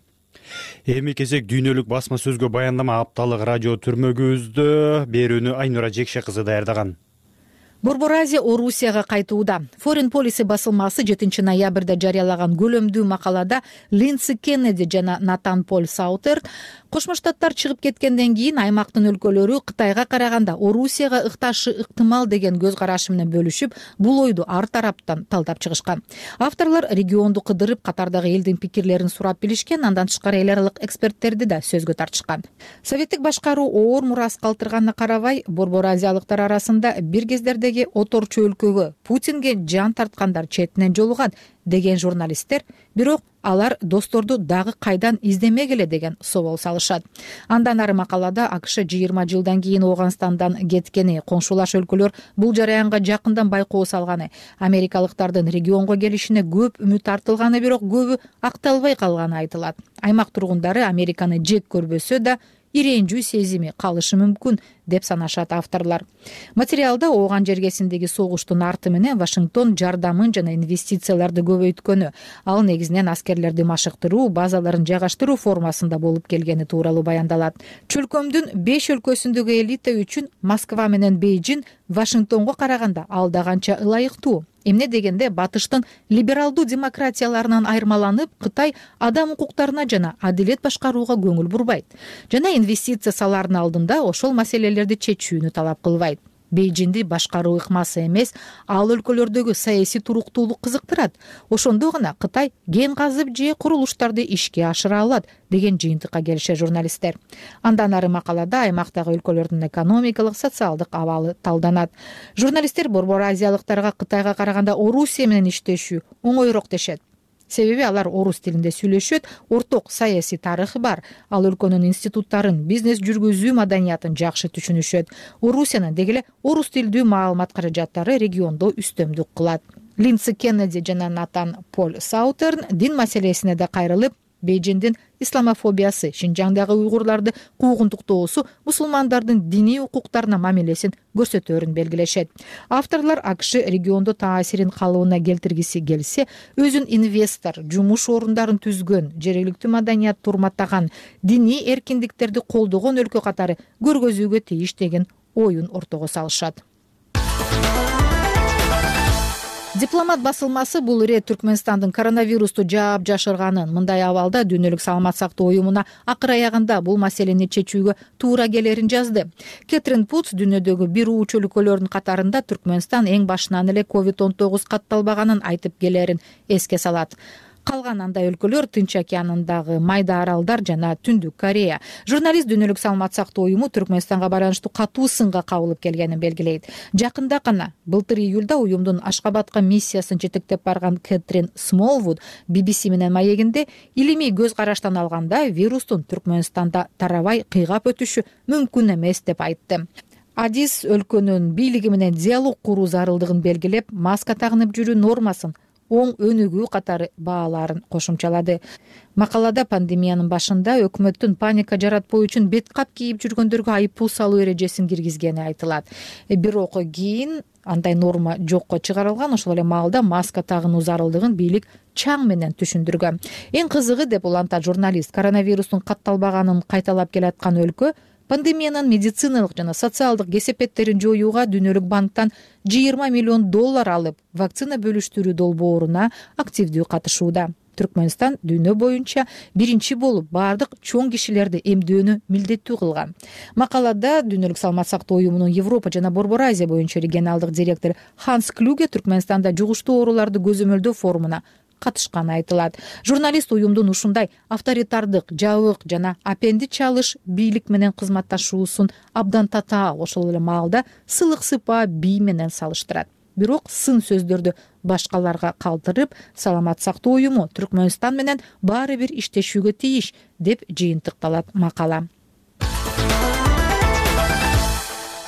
S2: Эми кезек дүйнөлүк басма сөзгө баяндама апталык радио түрмөгүбүздө. Берүүнү Айнура Жекше кызы даярдаган.
S13: Борбор Азия Орусияга кайтууда. Foreign Policy басылмасы 7 ноябрда жарыялаган көлөмдүү макалада Линдси Кеннеди жана Натан Поль Саутер Кошмо Штаттар чыгып кеткенден кийин аймактын өлкөлөрү Кытайга караганда Орусияга ыкташы ыктымал деген көз карашы менен бөлүшүп, бул ойду ар тараптан талдап чыгышкан. Авторлор регионду кыдырып, катардагы элдин пикирлерин сурап билишкен, андан тышкары эл аралык эксперттерди да сөзгө тартышкан. Советтик башкаруу оор мурас калтырганына карабай, Борбор Азиялыктар арасында бир кездердеги оторчу өлкөгө Путинге жан тарткандар четинен жолугат деген журналисттер, бирок алар досторду дагы кайдан издемегиле деген собол салышат. Андан ары макалада АКШ 20 жылдан кийин Ооганстандан кеткени, коңшулаш өлкөлөр бул жараянга жакындан байкоо салганы, америкалыктардын регионго келишине көп үмүт артылганы, бирок көбү акталбай калганы айтылат. Аймак тургундары Американы жек көрбөсө да иренжүү сезими калышы мүмкүн деп санашат авторлор. Материалда Ооган жергесиндеги согуштун арты менен Вашингтон жардамын жана инвестицияларды көбөйткөнү, ал негизинен аскерлерди машыктыруу, базаларын жайгаштыруу формасында болуп келгени тууралуу баяндалат. Чөлкөмдүн 5 өлкөсүндөгү элита үчүн Москва менен Бейжин Вашингтонго караганда алда канча ылайыктуу. Эмне дегенде батыштын либералдуу демократияларынан айырмаланып, Кытай адам укуктарына жана адилет башкарууга көңүл бурбайт жана инвестиция салаардын алдында ошол маселелерди чечүүнү талап кылбайт. Бейжинди башкаруу ыкмасы эмес, ал өлкөлөрдөгү саясий туруктуулук кызыктырат. Ошондо гана Кытай кен казып же курулуштарды ишке ашыра алат деген жыйынтыкка келишет журналисттер. Андан ары макалада аймактагы өлкөлөрдүн экономикалык, социалдык абалы талданат. Журналисттер Борбор Азиялыктарга Кытайга караганда Орусия менен иштешүү оңойрок дешет. Себеби алар орус тилинде сүйлөшөт, орток саясий тарыхы бар. Ал өлкөнүн институттарын, бизнес жүргүзүү маданиятын жакшы түшүнүшөт. Орусиянын деги эле орус тилдүү маалымат каражаттары региондо үстөмдүк кылат. Линдси Кеннеди жана Натан Поль Саутерн дин маселесине да кайрылып, Бейжиндин исламофобиясы, Шинжаңдагы уйгурларды куугунтуктоосу мусулмандардын диний укуктарына мамилесин көрсөтөөрүн белгилешет. Авторлор АКШ региондо таасирин калыбына келтиргиси келсе, өзүн инвестор, жумуш орундарын түзгөн, жергиликтүү маданиятты урматтаган, диний эркиндиктерди колдогон өлкө катары көргөзүүгө тийиш деген оюн ортого салышат. Дипломат басылмасы бул ирет Түркмөнстандын коронавирусту жаап жашырганын, мындай абалда Дүйнөлүк саламат сактоо уюмуна акыр аягында бул маселени чечүүгө туура келерин жазды. Кэтрин Путс дүйнөдөгү бир уучу өлкөлөрдүн катарында Түркмөнстан эң башынан эле COVID-19 катталбаганын айтып келерин эске салат. Калган андай өлкөлөр Тынч океанындагы майда аралдар жана Түндүк Корея. Журналист Дүйнөлүк саламат сактоо уюму Түркмөнстанга бараныштуу катуу сынга кабылып келгенин белгилейт. Жакында гана былтыр июлда уюмдун Ашкабадка миссиясын жетектеп барган Кэтрин Смолвуд BBC менен маегинде илимий көз караштан алганда вирустун Түркмөнстанда тарабай кыйгап өтүшү мүмкүн эмес деп айтты. Адис өлкөнүн бийлиги менен диалог куруу зарылдыгын белгилеп, маска тагынып жүрүү нормасын оң өнүгүү катары бааларын кошумчалады. Макалада пандемиянын башында өкмөттүн паника жаратпоо үчүн бет кап кийип жүргөндөргө айыппул салуу эрежесин киргизгени айтылат. Бирок кийин андай норма жокко чыгарылган, ошол эле маалда маска тагынуу зарылдыгын бийлик чаң менен түшүндүргөн. Эң кызыгы, деп улантат журналист, коронавирустун катталбаганын кайталап келаткан өлкө пандемиянын медициналык жана социалдык кесепеттерин жоюуга Дүйнөлүк банктан $20 миллион алып, вакцина бөлүштүрүү долбооруна активдүү катышууда. Түркмөнстан дүйнө боюнча биринчи болуп бардык чоң кишилерди эмдөөнү милдеттүү кылган. Макалада Дүйнөлүк саламат сактоо уюмунун Европа жана Борбор Азия боюнча регионалдык директор Ханс Клюге Түркмөнстанда жугуштуу ооруларды көзөмөлдөө форумуна катышканы айтылат. Журналист уюмдун ушундай авторитардык, жабык жана апенди чалыш бийлик менен кызматташуусун абдан татаал, ошол эле маалда сылык сыпаа бий менен салыштырат. Бирок сын сөздөрдү башкаларга калтырып, саламат сактоо уюму Түркмөнстан менен баары бир иштешүүгө тийиш деп жыйынтыкталат макала.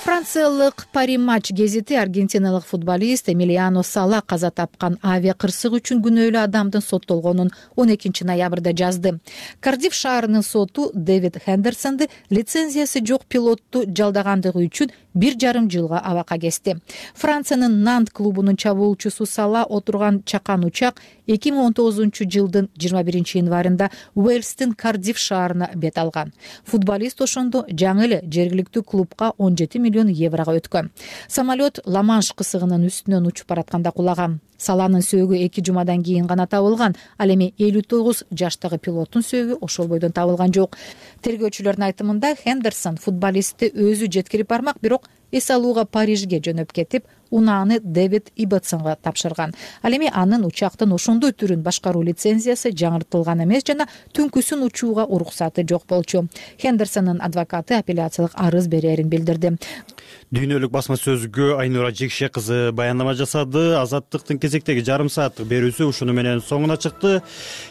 S13: Франциялык Пари матч гезити аргентиналык футболист Эмилиано Сала каза тапкан авиа кырсык үчүн күнөөлүү адамдын соттолгонун 12 ноябрда жазды. Кардиф шаарынын соту Дэвид Хендерсонду лицензиясы жок пилотту жалдагандыгы үчүн 1,5 жылга абакка кести. Франциянын Нант клубунун чабуулчусу Сала отурган чакан учак 2019 жылдын 21 январында Уэльстин Кардиф шаарына бет алган. Футболист ошондо жаңы эле жергиликтүү клубка 17 миллион еврого өткөн. Самолет Ла-Манш кысыгынын үстүнөн учуп баратканда кулаган. Саланын сөөгү 2 жумадан кийин гана табылган. Ал эми 59 жаштагы пилоттун сөөгү ошол бойдон табылган жок. Тергөөчүлөрдүн айтымында Хендерсон футболистти өзү жеткирип бармак, бирок эс алууга Парижге жөнөп кетип, унааны Дэвид Ибетсонго тапшырган. Ал эми анын учактын ошондой түрүн башкаруу лицензиясы жаңыртылган эмес жана түнкүсүн учууга уруксаты жок болчу. Хендерсондун адвокаты апелляциялык арыз берерин билдирди.
S2: Дүйнөлүк басма сөзгө Айнура Жекше кызы баяндама жасады. Азаттыктын кезектеги жарым сааттык берүүсү ушуну менен соңуна чыкты.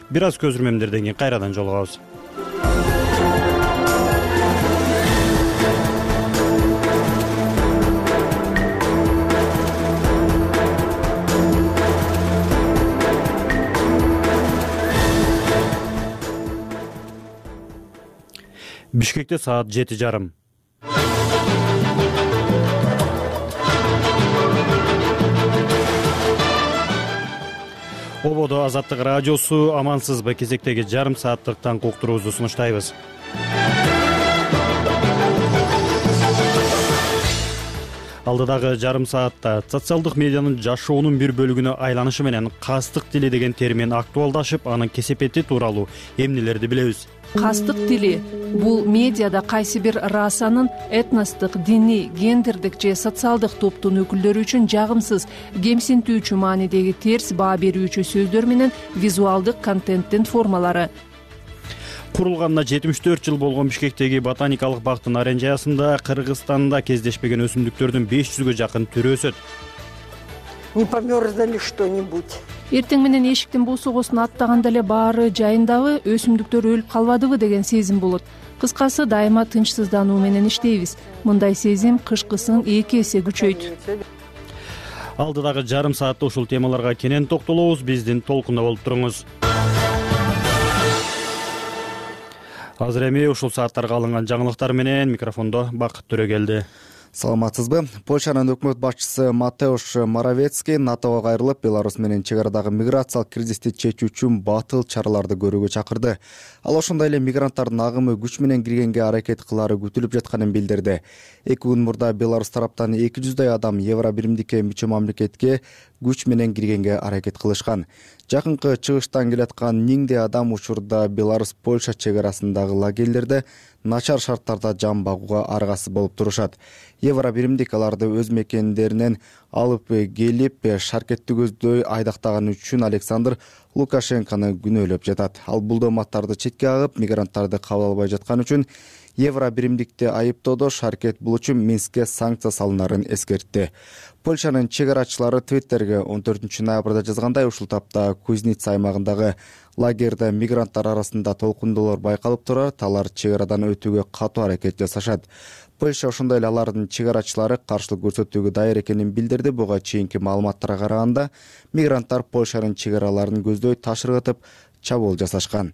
S2: Бир аз көзүрмөмдөрдөн кийин кайрадан жолугабыз. Бишкекте саат 7:30. Ободо Азаттык радиосу, амансызбы? Кезектеги жарым сааттык таңкы уктуруубузду сунуштайбыз. Алдыдагы жарым саатта социалдык медианын жашоонун бир бөлүгүнө айланышы менен кастык тили деген термин актуалдашып, анын кесепети тууралуу эмнелерди билебиз?
S14: Кастык тили — бул медиада кайсы бир расанын этностук, диний, гендердик же социалдык топтун өкүлдөрү үчүн жагымсыз, кемсинтүүчү маанидеги терс баа берүүчү сөздөр менен визуалдык контенттин формалары.
S2: Курулганына 74 жыл болгон Бишкектеги ботаникалык бактын оранжериясында Кыргызстанда кездешпеген өсүмдүктөрдүн 500гө жакын түрү өсөт.
S12: Не померзло ли что-нибудь?
S14: Эртең менен эшиктин босогосун аттаганда эле баары жайындабы, өсүмдүктөр өлүп калбадыбы деген сезим болот. Кыскасы, дайыма тынчсыздануу менен иштейбиз. Мындай сезим кышкысын 2 эсе күчөйт.
S2: Алдыдагы жарым саатта ушул темаларга кенен токтолобуз. Биздин толкунда болуп туруңуз. Азыр эми ушул сааттарга алынган жаңылыктар менен микрофондо Бакыт Төрөгелди.
S5: Саламатсызбы? Польшанын өкмөт башчысы Матеуш Моровецкий НАТОго кайрылып, Беларусь менен чек арадагы миграциялык кризисти чечүү үчүн батыл чараларды көрүүгө чакырды. Ал ошондой эле мигранттардын агымы күч менен киргенге аракет кылары күтүлүп жатканын билдирди. 2 күн мурда Беларусь тараптан 200дай адам Евро биримдикке мүчө мамлекетке күч менен киргенге аракет кылышкан. Жакынкы чыгыштан келаткан 1000дей адам учурда Беларусь-Польша чек арасындагы лагерлерде начар шарттарда жан багууга аргасыз болуп турушат. Евро биримдик аларды өз мекендеринен алып келип, шаркетти көздөй айдактаганы үчүн Александр Лукашенкону күнөөлөп жатат. Ал бул дооматтарды четке агып, мигранттарды кабыл албай жаткан үчүн Евро биримдикти айыптоодо шаркет бул үчүн Минскке санкция салынарын эскертти. Польшанын чек арачылары Твиттерге 14 ноябрда жазгандай, ушул тапта Кузница аймагындагы лагерде мигранттар арасында толкундоолор байкалып турат, алар чек арадан өтүүгө катуу аракет жасашат. Польша ошондой эле алардын чек арачылары каршылык көрсөтүүгө даяр экенин билдирди. Буга чейинки маалыматтарга караганда, мигранттар Польшанын чек араларын көздөй таш ыргытып, чабуул жасашкан.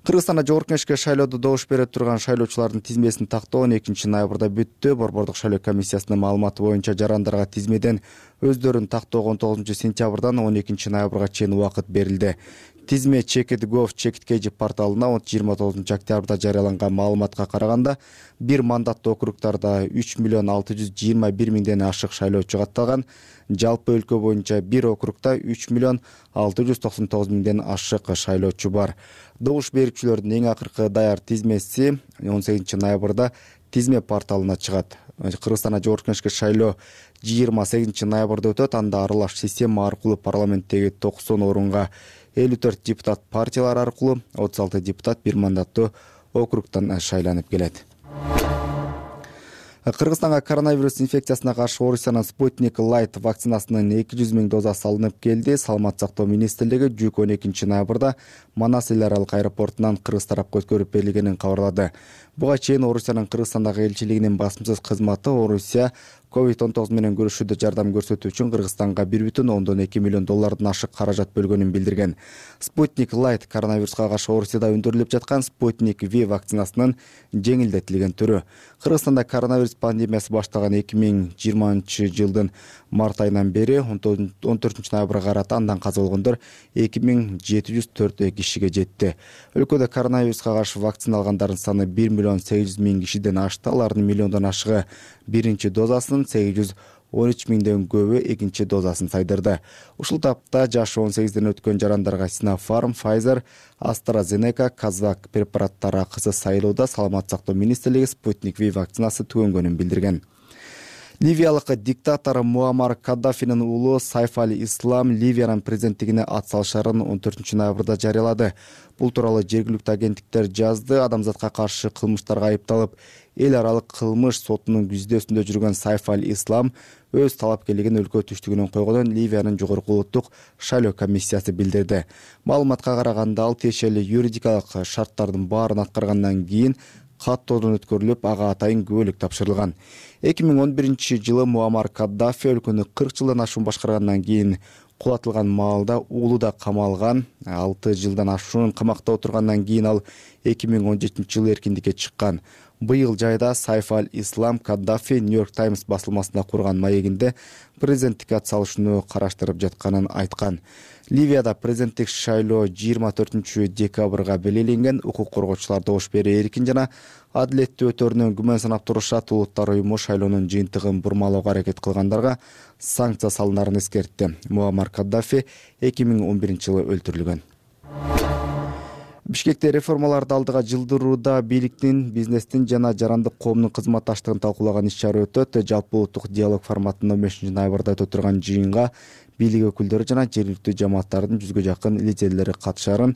S5: Кыргызстанда жогорку кеңешке шайлоодо добуш бере турган шайлоочулардын тизмесин тактоо 12 ноябрда бүттү. Борбордук шайлоо комиссиясынын маалыматы боюнча жарандарга тизмеден өздөрүн тактоого 19 сентябрдан 12 ноябрга чейин убакыт берилди. Тизме Check.gov Check.kg порталына 29 октябрда жарыяланган маалыматка караганда, бир мандаттуу округдарда 3 миллион 621 миңден ашык шайлоочу катталган. Жалпы өлкө боюнча бир округда 3 миллион 699 миңден ашык шайлоочу бар. Добуш берүүчүлөрдүн эң акыркы даяр тизмеси 18 ноябрда тизме порталына чыгат. Кыргызстанда жогорку кеңешке шайлоо 28 ноябрда өтөт. Анда аралаш система аркылуу парламенттеги 90 орунга 54 депутат партиялар аркылуу, 36 депутат бир мандаттуу округтан шайланып келет. Кыргызстанга коронавирус инфекциясына каршы Орусиянын Спутник Light вакцинасынын 200 миң доза салынып келди. Саламат сактоо министрлиги жүк 12 ноябрда Манас эл аралык аэропортунан Кыргыз тарапка өткөрүп берилгенин кабарлады. Буга чейин Орусиянын Кыргызстандагы элчилигинин басымсыз кызматы Орусия COVID-19 менен күрөшүүдө жардам көрсөтүү үчүн Кыргызстанга $1,2 миллион ашык каражат бөлгөнүн билдирген. Sputnik Light коронавируска каршы Орусияда өндүрүлүп жаткан Sputnik V вакцинасынын жеңилдетилген түрү. Кыргызстанда коронавирус пандемиясы башталган 2020 жылдын март айынан бери 14 ноябрга карата андан каза болгондор 2704 кишиге жетти. Өлкөдө коронавируска каршы вакцина алгандардын саны 1,8 кишиден ашты. Алардын миллиондон ашыгы биринчи дозасын, 813 миңден көбү экинчи дозасын сайдырды. Ушул тапта жашы 18ден өткөн жарандарга Sinopharm, Pfizer, AstraZeneca, Kazak препараттары акысы сайлоодо Саламаттык сактоо министрлиги Sputnik V вакцинасы түгөнгөнүн билдирген. Ливиялык диктатор Муаммар Каддафинин уулу Сайф аль-Ислам Ливиянын президенттигине ат салышарын 14 ноябрда жарыялады. Бул тууралуу жергиликтүү агенттиктер жазды. Адамзатка каршы кылмыштарга айыпталып, эл аралык кылмыш сотунун издөөсүндө жүргөн Сайф аль-Ислам өз талапкерлигин өлкө түштүгүнөн койгонун Ливиянын жогорку улуттук шайлоо комиссиясы билдирди. Маалыматка караганда ал тиешелүү юридикалык шарттардын баарын аткаргандан кийин каттоодон өткөрүлүп, ага атайын күбөлүк тапшырылган. 2011 жылы Муаммар Каддафи өлкөнү 40 жылдан ашуун башкаргандан кийин кулатылган маалда уулу да камалган. 6 жылдан ашуун камакта отургандан кийин ал 2017 жылы эркиндикке чыккан. Быйыл жайда Сайф аль-Ислам Каддафи Нью-Йорк Таймс басылмасында курган маегинде президенттикке ат салышууну караштырып жатканын айткан. Ливияда президенттик шайлоо 24 декабрга белгиленген. Укук коргоочулар добуш берүү эркин жана адилеттүү өтөрүнөн күмөн санап турушат. Улуттар уюму шайлоонун жыйынтыгын бурмалоого аракет кылгандарга санкция салынарын эскертти. Муаммар Каддафи 2011 жылы өлтүрүлгөн. Бишкекте реформаларды алдыга жылдырууда бийликтин, бизнестин жана жарандык коомдун кызматташтыгын талкуулаган иш-чара өтөт. Жалпы улуттук диалог форматында 15 ноябрда өтө турган жыйынга бийлик өкүлдөрү жана жергиликтүү жамааттардын 100гө жакын лидерлери катышарын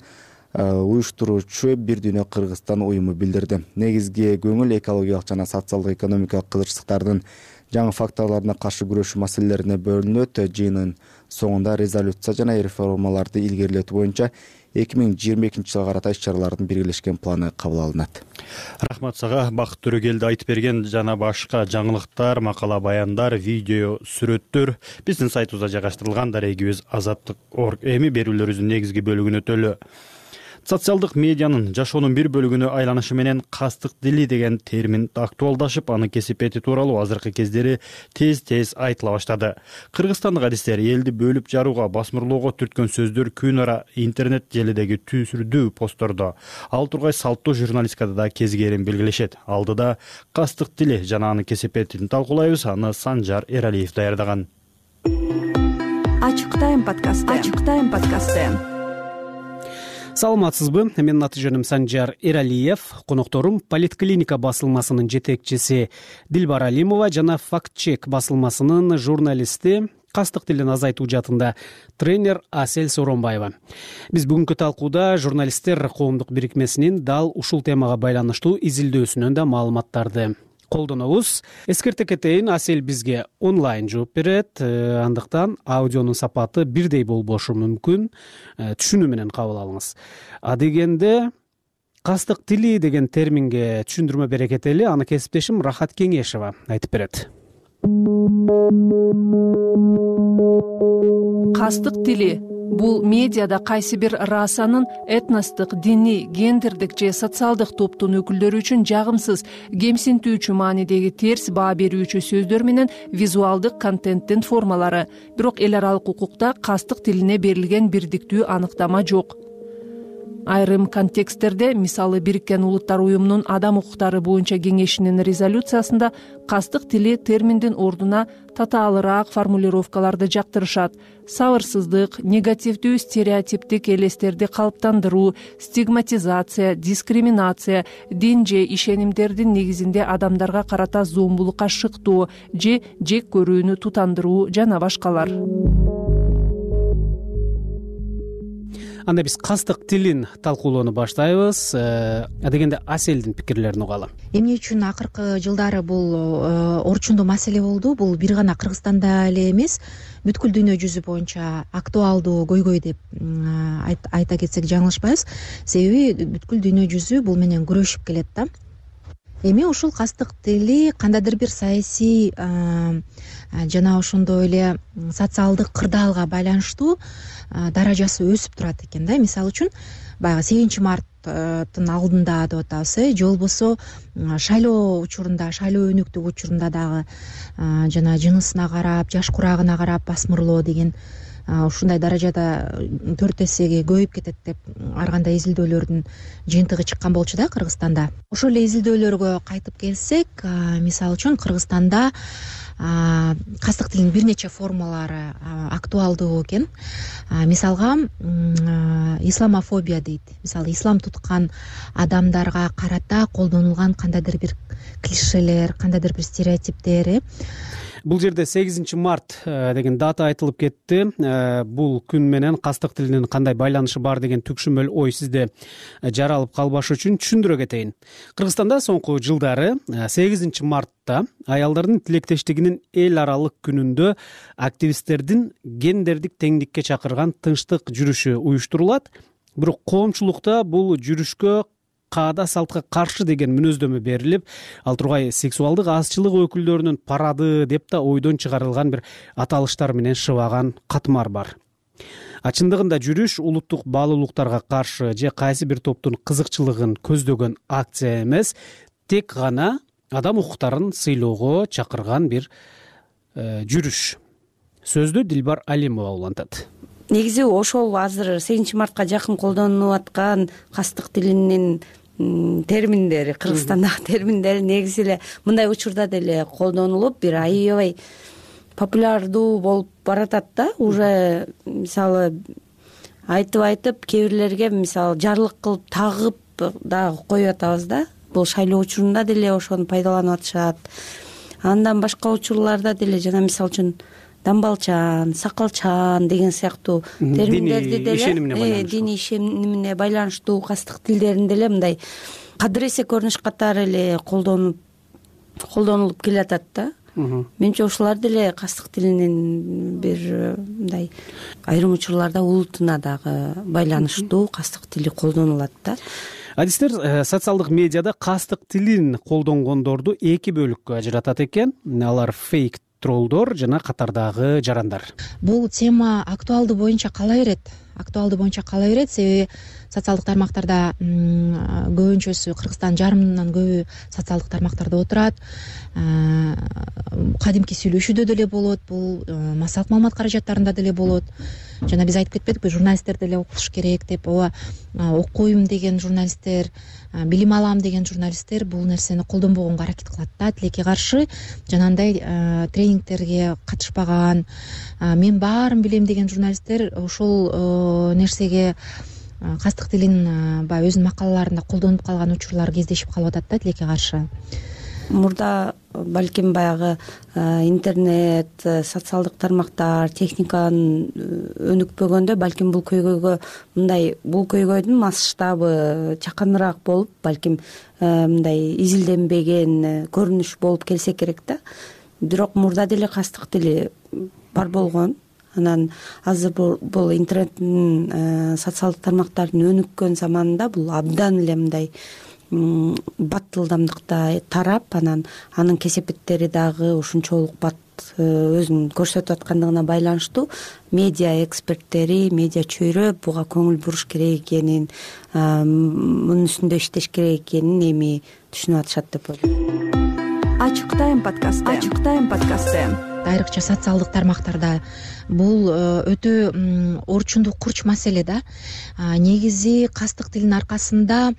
S5: уюштуруучу Бир дүйнө Кыргызстан уюму билдирди. Негизги көңүл экологиялык жана социалдык экономикалык кызычтыктардын жаңы факторлоруна каршы күрөшүү маселелерине бөлүнөт. Жыйындын соңунда резолюция жана реформаларды илгерилетүү боюнча 2022 жылга карата иш-чаралардын биргелешкен планы кабыл алынат.
S2: Рахмат сага. Бакыт Төрөгелди айтып берген жана башка жаңылыктар, макала баяндар, видео, сүрөттөр биздин сайтыбызда жайгаштырылган. Дарегибиз Азаттык.org. Эми берүүлөрүбүздүн негизги бөлүгүнө өтөлү. Социалдык медианын жашоонун бир бөлүгүнө айланышы менен кастык дили деген термин актуалдашып, анын кесипети тууралуу азыркы кездери тез айтыла баштады. Кыргызстандык адистер элди бөлүп жарууга, басмырлоого түрткөн сөздөр күн ара интернет желидеги түсүрдүү посттордо. Ал тургай салттуу журналистикада да кезгерин белгилешет. Алдыда кастык дили жана анын кесипетин талкуулайбыз. Аны Санжар Эралиев даярдаган.
S4: Ачык тайм подкасты.
S15: Саламатсызбы? Менин аты жөнүм Санжар Эралиев. Конокторум Политклиника басылмасынын жетекчиси Дилбар Алимова жана Фактчек басылмасынын журналисти, кастык тилин азайтуу жаатында тренер Асель Сооронбаева. Биз бүгүнкү талкууда журналисттер коомдук бирикмесинин дал ушул темага байланыштуу изилдөөсүнөн да маалыматтарды колдонобуз. Эскерте кетейин, Асель бизге онлайн жооп берет, андыктан аудионун сапаты бирдей болбошу мүмкүн. Түшүнүү менен кабыл алыңыз. Адегенде кастык тили деген терминге түшүндүрмө бере кетели. Аны кесиптешим Рахат Кеңешева айтып берет.
S14: Кастык тили бул медиада кайсы бир расанын этностук, диний, гендердик же социалдык топтун өкүлдөрү үчүн жагымсыз, кемсинтүүчү маанидеги терс баа берүүчү сөздөр менен визуалдык контенттин формалары. Бирок эл аралык укукта кастык тилине берилген бирдиктүү аныктама жок. Айрым контексттерде, мисалы Бириккен Улуттар уюмунун адам укуктары боюнча кеңешинин резолюциясында кастык тили терминдин ордуна татаалыраак формулировкаларды жактырышат. Сабырсыздык, негативдүү стереотиптик элестерди калыптандыруу, стигматизация, дискриминация, дин же ишенимдердин негизинде адамдарга карата зомбулукка шыктоо же жек көрүүнү тутандыруу жана башкалар.
S15: Анда биз кастык тилин талкуулоону баштайбыз. Адегенде Аселдин пикирлерин угалы.
S16: Эмне үчүн акыркы жылдары бул орчундуу маселе болду? Бул бир гана Кыргызстанда эле эмес, бүткүл дүйнө жүзү боюнча актуалдуу көйгөй деп айта кетсек жаңылышпайбыз. Себеби бүткүл дүйнө жүзү бул менен күрөшүп келет да. эми ушул кастык тили кандайдыр бир саясий жана ошондой эле социалдык кырдаалга байланыштуу даражасы өсүп турат экен да. Мисалы үчүн баягы 8 марттын алдында деп атабыз, же болбосо шайлоо учурунда, шайлоо өнүктүк учурунда дагы жана жынысына карап, жаш курагына карап басмырлоо деген ушундай даражада 4 эсеге көбөйүп кетет деп ар кандай изилдөөлөрдүн жыйынтыгы чыккан болчу да Кыргызстанда. Ошол эле изилдөөлөргө кайтып келсек, мисалы үчүн Кыргызстанда кастык тилинин бир нече формалары актуалдуу экен. Мисалга исламофобия дейт. Мисалы ислам туткан адамдарга карата колдонулган кандайдыр бир клишелер, кандайдыр бир стереотиптер.
S15: Бул жерде 8 март деген дата айтылып кетти. Бул күн менен кастык тилинин кандай байланышы бар деген түкшүмөл ой сизде жаралып калбаш үчүн түшүндүрө кетейин. Кыргызстанда соңку жылдары 8 мартта аялдардын тилектештигинин эл аралык күнүндө активисттердин гендердик теңдикке чакырган тынчтык жүрүшү уюштурулат. Бирок коомчулукта бул жүрүшкө каада салтка каршы деген мүнөздөмө берилип, ал тургай сексуалдык азчылык өкүлдөрүнүн парады деп да ойдон чыгарылган бир аталыштар менен шыбаган катмар бар. Чындыгында жүрүш улуттук баалуулуктарга каршы же кайсы бир топтун кызыкчылыгын көздөгөн акция эмес, тек гана адам укуктарын сыйлоого чакырган бир жүрүш. Сөздү Дилбар Алимова улантат.
S17: Негизи ошол азыр 8 мартка жакын колдонулуп аткан кастык тилинин терминдери, Кыргызстандагы терминдери негизи эле мындай учурда деле колдонулуп, бир аябай популярдуу болуп баратат да. Уже мисалы айтып кээ бирлерге мисалы жарлык кылып тагып дагы коюп атабыз да. Бул шайлоо учурунда деле ошону пайдаланып атышат. Андан башка учурларда деле жана мисалы үчүн дамбалчан, сакалчан деген сыяктуу терминдерди деле диний ишенимине байланыштуу кастык тилдерин деле мындай кадыр эсе көрүнүш катары эле колдонулуп келатат да. Менимче ошолор деле кастык тилинин бир мындай айрым учурларда улутуна дагы байланыштуу кастык тили колдонулат да.
S15: Адистер социалдык медиада кастык тилин колдонгондорду 2 бөлүккө ажыратат экен. Алар фейк троллдор жана катардагы жарандар.
S16: Бул тема актуалдуу боюнча кала берет. Себеби социалдык тармактарда көбүнчөсү Кыргызстан жарымынан көбү социалдык тармактарда отурат. Кадимки сүйлөшүүдө деле болот, бул массалык маалымат каражаттарында деле болот. Жана биз айтып кетпедикпи, журналисттер деле окулуш керек деп. Окуйм деген журналисттер, билим алам деген журналисттер бул нерсени колдонбогонго аракет кылат да. Тилекке каршы жанагындай тренингтерге катышпаган, мен баарын билем деген журналисттер ошол нерсеге кастык тилин баягы өзүнүн макалаларында колдонуп калган учурлар кездешип калып атат да, тилекке каршы.
S17: Мурда балким баягы интернет, социалдык тармактар, техниканын өнүкпөгөндө балким бул көйгөйдүн масштабы чаканыраак болуп, балким мындай изилденбеген көрүнүш болуп келсе керек да. Бирок мурда деле кастык тили бар болгон. Анан азыр бул интернеттин социалдык тармактардын өнүккөн заманында бул абдан эле мындай баттылдамдыкта тарап, анын кесепеттери дагы ушунчолук бат өзүн көрсөтүп аткандыгына байланыштуу медиа эксперттери, медиа чөйрө буга көңүл буруш керек экенин, мунун үстүндө иштеш керек экенин эми түшүнүп атышат деп ойлойм.
S4: Ачык тайм подкасты.
S16: Айрыкча социалдык тармактарда бул өтө орчундуу курч маселе да. Негизи кастык тилинин аркасында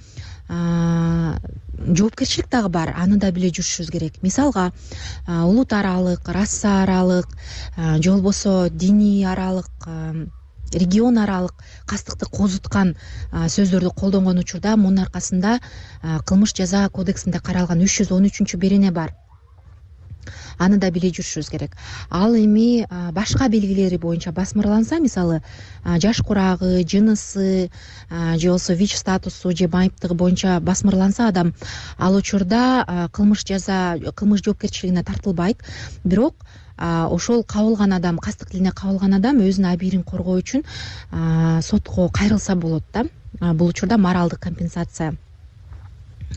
S16: жоопкерчилик дагы бар, аны да биле жүрүшүбүз керек. Мисалга улут аралык, раса аралык, же болбосо диний аралык, регион аралык кастыкты козуткан сөздөрдү колдонгон учурда мунун аркасында кылмыш жаза кодексинде каралган 313-берене бар. Аны да биле жүрүшүбүз керек. Ал эми башка белгилери боюнча басмырланса, мисалы жаш курагы, жынысы, же болбосо ВИЧ статусу же майыптыгы боюнча басмырланса адам, ал учурда кылмыш жоопкерчилигине тартылбайт. Бирок ошол кабылган адам, кастык тилине кабылган адам өзүнүн абийирин коргоо үчүн сотко кайрылса болот да. Бул учурда моралдык компенсация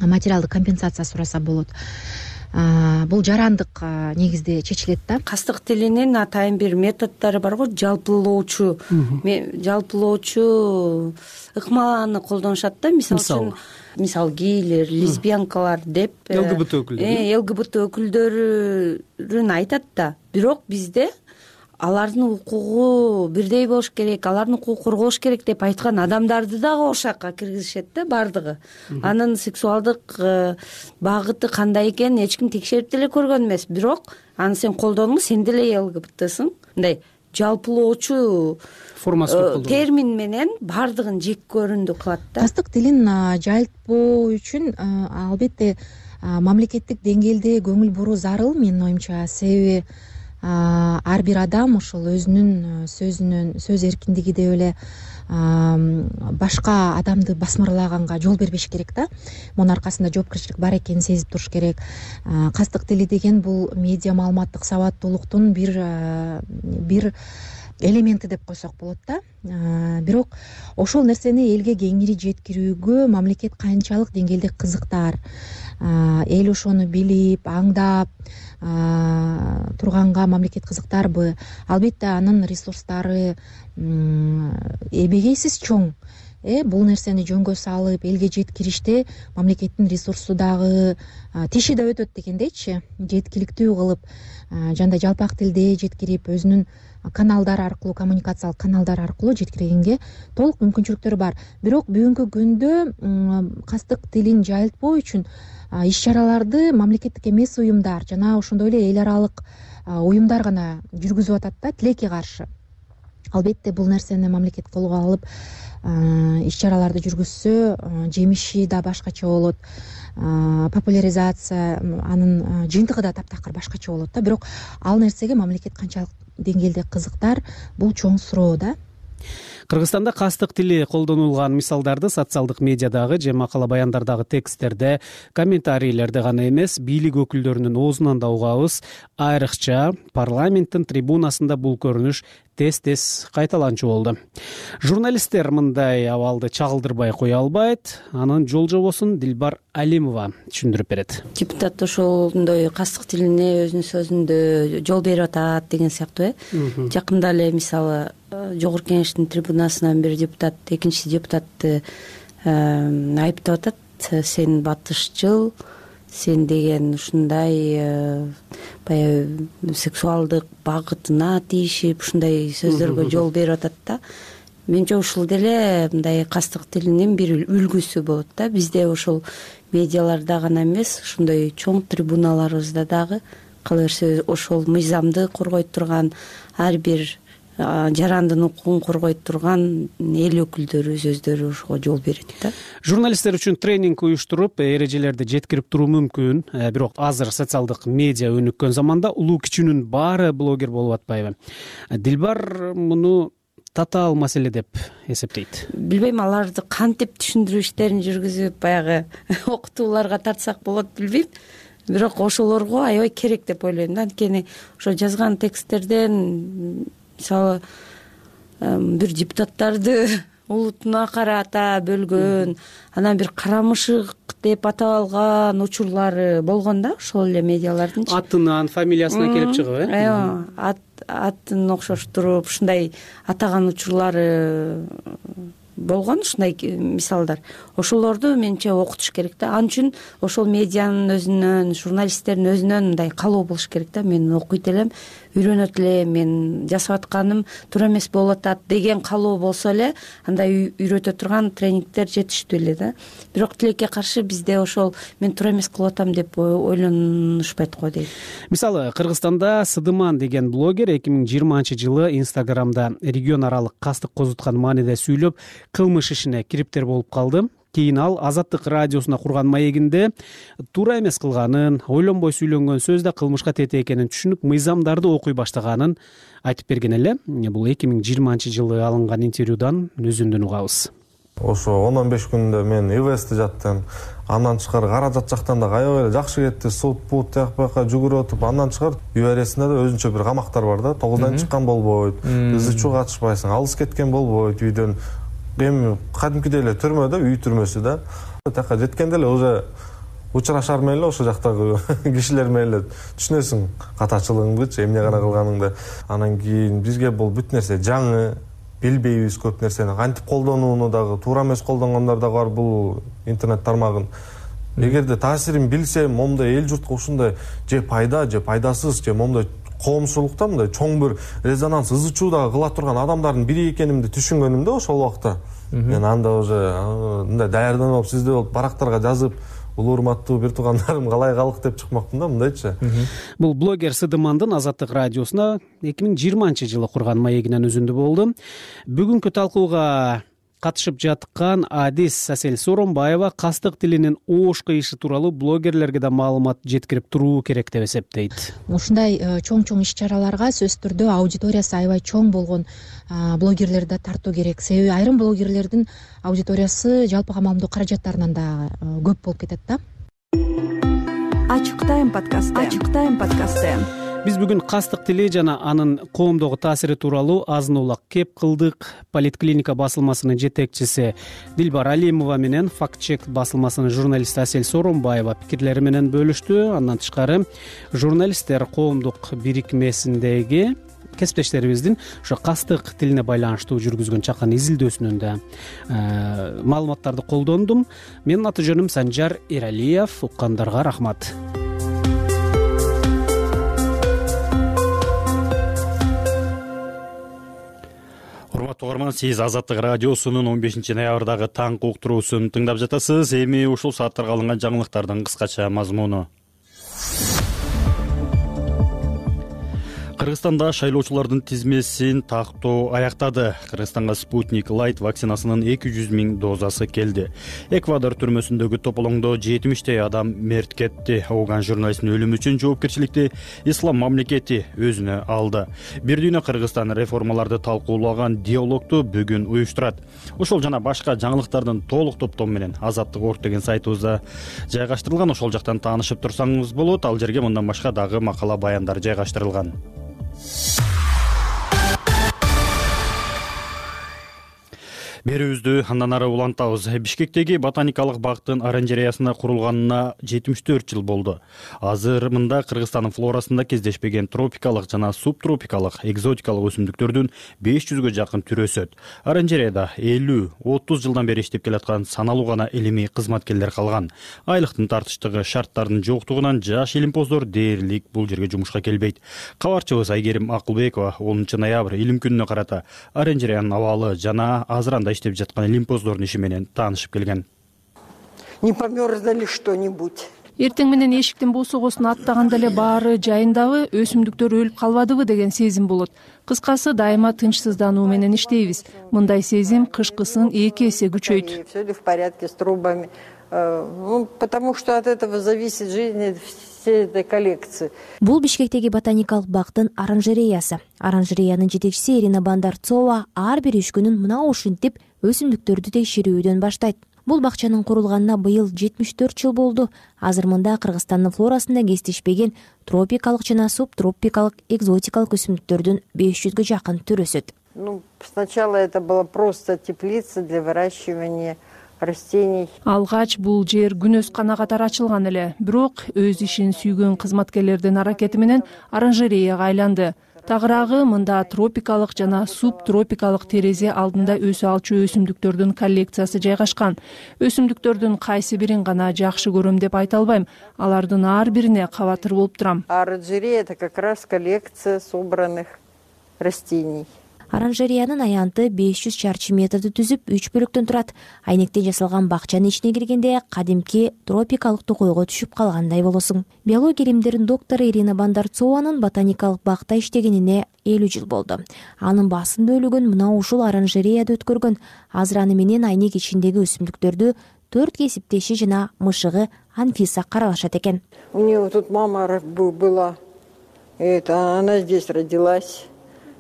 S16: материалдык компенсация сураса болот. Бул жарандык негизде чечилет да.
S17: Кастык тилинин атайын бир методдору бар го, жалпылоочу ыкмаланы колдонушат да. Мисалы үчүн гейлер, лесбиянкалар деп
S15: ЛГБТ өкүлдөрү
S17: ЛГБТ өкүлдөрүн айтат да. Бирок бизде алардын укугу бирдей болуш керек, алардын укугу корголуш керек деп айткан адамдарды дагы ошакка киргизишет да баардыгы. Анын сексуалдык багыты кандай экенин эч ким текшерип деле көргөн эмес. Бирок аны сен колдондуң, сен деле ЛГБТсың. Мындай жалпылоочу
S15: формасы
S17: термин менен баардыгын жек көрүндү кылат да.
S16: Кастык тилин жайылтпоо үчүн албетте мамлекеттик деңгээлде көңүл буруу зарыл, менин оюмча. Себеби ар бир адам ошол өзүнүн сөз эркиндиги деп эле башка адамды басмырлаганга жол бербеш керек да. Мунун аркасында жоопкерчилик бар экенин сезип туруш керек. Кастык тили деген бул медиа маалыматтык сабаттуулуктун бир элементи деп койсок болот да. Бирок ошол нерсени элге кеңири жеткирүүгө мамлекет канчалык деңгээлде кызыктар, эл ошону билип, аңдап турганга мамлекет кызыктарбы? Албетте анын ресурстары эбегейсиз чоң. Бул нерсени жөнгө салып элге жеткириште мамлекеттин ресурсу дагы тиши да өтөт дегендейчи. Жеткиликтүү кылып, жандай жалпак тилде жеткирип, өзүнүн каналдар аркылуу, коммуникациялык каналдар аркылуу жеткиргенге толук мүмкүнчүлүктөрү бар. Бирок бүгүнкү күндө кастык тилин жайылтпоо үчүн иш чараларды мамлекеттик эмес уюмдар жана ошондой эле эл аралык уюмдар гана жүргүзүп атат да, тилекке каршы. Албетте бул нерсени мамлекет колго алып иш чараларды жүргүзсө, жемиши да башкача болот. Популяризация, анын жыйынтыгы да таптакыр башкача болот да. Бирок ал нерсеге мамлекет канчалык деңгээлде кызыктар, бул чоң суроо да.
S15: Кыргызстанда кастык тили колдонулган мисалдарды социалдык медиадагы же макала баяндардагы тексттерде, комментарийлерде гана эмес, бийлик өкүлдөрүнүн оозунан да угабыз. Айрыкча парламенттин трибунасында бул көрүнүш тез кайталанчу болду. Журналисттер мындай абалды чагылдырбай кое албайт. Анын жол жобосун Дилбар Алимова түшүндүрүп берет.
S17: Депутат ошондой кастык тилине өзүнүн сөзүндө жол берип атат деген сыяктуу. Жакында эле мисалы Жогорку Кеңештин трибунасынан бир депутат экинчи депутатты айыптап атат. Сен батышчыл, сен деген ушундай баягы сексуалдык багытына тийишип ушундай сөздөргө жол берип атат да. Менче ушул деле мындай кастык тилинин бир үлгүсү болот да. Бизде ошол медиаларда гана эмес, ушундай чоң трибуналарыбызда дагы кала берсе ошол мыйзамды коргойт турган, ар бир жарандын укугун коргойт турган эл өкүлдөрү өздөрү ошого жол берет да.
S15: Журналисттер үчүн тренинг уюштуруп, эрежелерди жеткирип туруу мүмкүн. Бирок азыр социалдык медиа өнүккөн заманда улуу кичүүнүн баары блогер болуп атпайбы? Дилбар муну татаал маселе деп эсептейт.
S17: Билбейм, аларды кантип түшүндүрүү иштерин жүргүзүп баягы окутууларга тартсак болот, билбейм. Бирок ошолорго аябай керек деп ойлойм да. Анткени ошо жазган тексттерден мисалы бир депутаттарды улутуна карата бөлгөн, анан бир карамышык деп атап алган учурлары болгон да, ошол эле медиалардын.
S15: Атынан, фамилиясынан келип чыгып,
S17: Ооба, атын окшоштуруп ушундай атаган учурлары болгон, ушундай мисалдар. Ошолорду менче окутуш керек да. Ал үчүн ошол медианын өзүнөн, журналисттердин өзүнөн мындай каалоо болуш керек да. Мен окуйт элем, үйрөнөт элем, мен жасап атканым туура эмес болуп атат деген каалоо болсо эле андай үйрөтө турган тренингдер жетиштүү эле да. Бирок тилекке каршы бизде ошол мен туура эмес кылып атам деп ойлонушпайт го дейт.
S15: Мисалы, Кыргызстанда Сыдыман деген блогер 2020-жылы Инстаграмда регион аралык кастык козуткан мааниде сүйлөп, кылмыш ишине кириптер болуп калды. Кийин ал Азаттык радиосуна курган маегинде туура эмес кылганын, ойлонбой сүйлөнгөн сөз да кылмышка тете экенин түшүнүп, мыйзамдарды окуй баштаганын айтып берген эле. Бул 2020-жылы алынган интервьюдан өзүндөн угабыз.
S18: Ошо 10-15 күндө мен ИВСти жаттым. Андан тышкары каражат жактан да аябай жакшы кетти. Суд бут жакпакка жүгүрүп отуп, андан тышкары ЮРСинде да өзүнчө бир камактар бар да. 9-дан чыккан болбойт, ызычуу катышпайсың, алыс кеткен болбойт үйдөн. Эми кадимкидей эле түрмөдө, үй түрмөсү да. Тияка жеткенде эле уже учурашар менен эле ошол жактагы кишилер менен эле түшүнөсүң катачылыгыңдычы, эмне гана кылганыңды. Анан кийин бизге бул бүт нерсе жаңы, билбейбиз көп нерсени. Кантип колдонууну дагы, туура эмес колдонгондор дагы бар бул интернет тармагын. Эгерде таасирин билсе, момундай эл журтка ушундай же пайда, же пайдасыз, же момундай коомчулукта мындай чоң бир резонанс, ызы чуу дагы кыла турган адамдардын бири экенимди түшүнгөнүмдө ошол убакта. Мен анда уже мындай даярданып, сизде болуп барактарга жазып, улуу урматтуу бир туугандарым калай калык деп чыкмакмын да, мындайчы.
S15: Бул блогер Сыдымандын Азаттык радиосуна 2020-жылы курган маегинен үзүндү болду. Бүгүнкү талкууга катышып жаткан Адис Асель Сооронбаева кастык тилинин оош кыйышы тууралуу блогерлерге да маалымат жеткирип туруу керек деп эсептейт.
S16: Ушундай чоң иш-чараларга сөзсүз түрдө аудиториясы аябай чоң болгон блогерлерди да тартуу керек. Себеби айрым блогерлердин аудиториясы жалпыга маалымдоо каражаттарынан да көп болуп кетет да.
S4: Ачык тайм подкасты.
S15: Биз бүгүн кастык тили жана анын коомдогу таасири тууралуу азын улак кеп кылдык. Политклиника басылмасынын жетекчиси Дилбар Алимова менен Фактчек басылмасынын журналисти Асель Сооронбаева пикирлери менен бөлүштү. Андан тышкары журналисттер коомдук бирикмесиндеги кесиптештерибиздин ошо кастык тилине байланыштуу жүргүзгөн чакан изилдөөсүнөн да маалыматтарды колдондум. Менин аты жөнүм Санжар Эралиев. Уккандарга рахмат.
S2: Урматтуу угарман, сиз Азаттык радиосунун 15-ноябрдагы таңкы уктуруусун тыңдап жатасыз. Эми ушул сааттарга алынган жаңылыктардын кыскача мазмуну. Кыргызстанда шайлоочулардын тизмесин тактоо аяктады. Кыргызстанга Спутник Light вакцинасынын 200 000 дозасы келди. Эквадор түрмөсүндөгү тополоңдо 70 адам мерт кетти. Ооган журналисттин өлүмү үчүн жоопкерчиликти Ислам мамлекети өзүнө алды. Бир дүйнө Кыргызстан реформаларды талкуулаган диалогту бүгүн уюштурат. Ошол жана башка жаңылыктардын толук топтому менен Азаттык.org деген сайтыбызда жайгаштырылган. Ошол жактан таанышып турсаңыз болот. Ал жерге мындан башка дагы макала баяндар жайгаштырылган. Берүүбүздү андан ары улантабыз. Бишкектеги ботаникалык бактын оранжереясына курулганына 74 жыл болду. Азыр мында Кыргызстандын флорасында кездешпеген тропикалык жана субтропикалык экзотикалык өсүмдүктөрдүн 500гө жакын түрү өсөт. Оранжереяда 50-30 жылдан бери иштеп келаткан саналуу гана илимий кызматкерлер калган. Айлыктын тартыштыгы, шарттардын жоктугунан жаш илимпоздор дээрлик бул жерге жумушка келбейт. Кабарчыбыз Айгерим Акылбекова 10-ноябрь илим күнүнө карата оранжереянын абалы жана азыр анда иштеп жаткан илимпоздордун иши менен таанышып келген.
S19: Не померзло ли что-нибудь?
S14: Эртең менен эшиктин босогосун аттаганда эле баары жайындабы, өсүмдүктөр өлүп калбадыбы деген сезим болот. Кыскасы дайыма тынчсыздануу менен иштейбиз. Мындай сезим кышкысын 2 эсе күчөйт.
S19: Все ли в порядке с трубами? Потому что от этого зависит жизнь всей этой коллекции.
S20: Бул Бишкектеги ботаникалык бактын оранжереясы. Оранжереянын жетекчиси Ирина Бандарцова ар бир үч күнүн мына ушинтип өсүмдүктөрдү текшерүүдөн баштайт. Бул бакчанын курулганына быйыл 74 жыл болду. Азыр мында Кыргызстандын флорасында кездешпеген тропикалык жана субтропикалык экзотикалык өсүмдүктөрдүн 500гө жакын түрү өсөт.
S19: Сначала это была просто теплица для выращивания растений.
S14: Алгач бул жер күнөз канагатар ачылган эле, бирок өз ишин сүйгөн кызматкерлердин аракети менен оранжереяга айланды. Тагыраагы мында тропикалык жана субтропикалык терезе алдында өсө алчу өсүмдүктөрдүн коллекциясы жайгашкан. Өсүмдүктөрдүн кайсы бирин гана жакшы көрөм деп айта албайм. Алардын ар бирине кабатыр болуп турам.
S19: Оранжерея — это как раз коллекция собранных растений.
S20: Оранжереянын аянты 500 чарчы метрди түзүп 3 бөлүктөн турат. Айнектен жасалган бакчанын ичине киргенде кадимки тропикалык токойго түшүп калгандай болосуң. Биология илимдеринин доктору Ирина Бандарцованын ботаникалык бакта иштегенине 50 жыл болду. Анын басым бөлүгүн мына ушул оранжереяда өткөргөн. Азыр аны менен айнек ичиндеги өсүмдүктөрдү 4 кесиптеши жана мышыгы Анфиса каралашат экен.
S19: У нее тут мама была, она здесь родилась.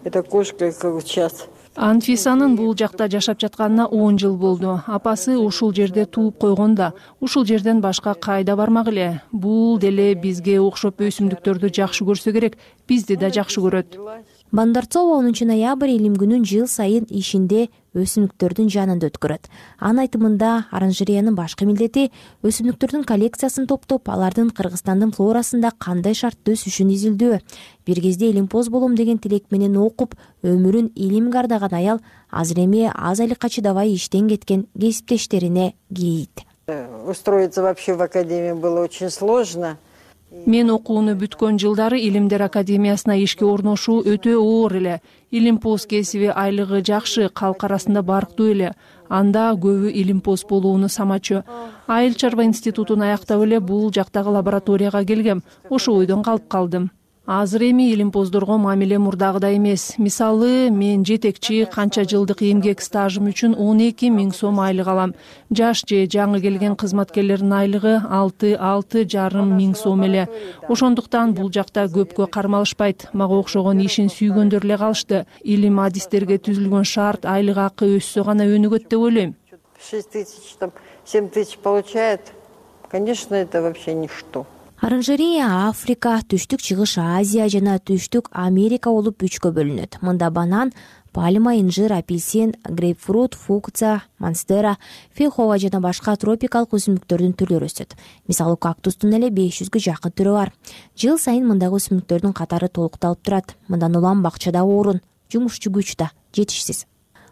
S19: Это кошка как сейчас.
S14: Анфисанын бул жакта жашап жатканына 10 жыл болду. Апасы ушул жерде тууп койгон да, ушул жерден башка кайда бармак эле. Бул деле бизге окшоп өсүмдүктөрдү жакшы көрсө керек, бизди да жакшы көрөт.
S20: Бандарцова 10 ноябрь илим күнүн жыл сайын ишинде өсүмдүктөрдүн жанында өткөрөт. Анын айтымында оранжереянын башкы милдети өсүмдүктөрдүн коллекциясын топтоп, алардын Кыргызстандын флорасында кандай шартта өсүшүн изилдөө. Бир кезде илимпоз болом деген тилек менен окуп, өмүрүн илимге ардаган аял азыр эми аз айлыкка чыдабай иштен кеткен кесиптештерине кейийт.
S19: Устроиться вообще в академию было очень сложно.
S14: Мен окууну бүткөн жылдары Илимдер академиясына ишке орношуу өтө оор эле. Илимпоз кесиби айлыгы жакшы, калк арасында барктуу эле. Анда көбү илимпоз болууну самачу. Айыл чарба институтун аяктап эле бул жактагы лабораторияга келгем. Ошо ойдон калып калдым. Азыр эми илимпоздорго мамиле мурдагыдай эмес. Мисалы, мен жетекчи канча жылдык эмгек стажым үчүн 12 000 сом айлык алам. Жаш же жаңы келген кызматкерлердин айлыгы 6,5 миң сом эле. Ошондуктан бул жакта көпкө кармалышпайт. Мага окшогон ишин сүйгөндөр эле калышты. Илим адистерге түзүлгөн шарт айлык акы өссө гана өнүгөт деп ойлойм.
S19: 6 000, 7 000 получает. Конечно, это вообще ничто.
S20: Оранжерея Африка, Түштүк Чыгыш Азия жана Түштүк Америка болуп 3кө бөлүнөт. Мында банан, пальма, инжир, апельсин, грейпфрут, фукция, монстера, фейхоа жана башка тропикалык өсүмдүктөрдүн түрлөрү өсөт. Мисалы, кактустун эле 500гө жакын түрү бар. Жыл сайын мындагы өсүмдүктөрдүн катары толукталып турат. Мындан улам бакчада орун, жумушчу күч да жетишсиз.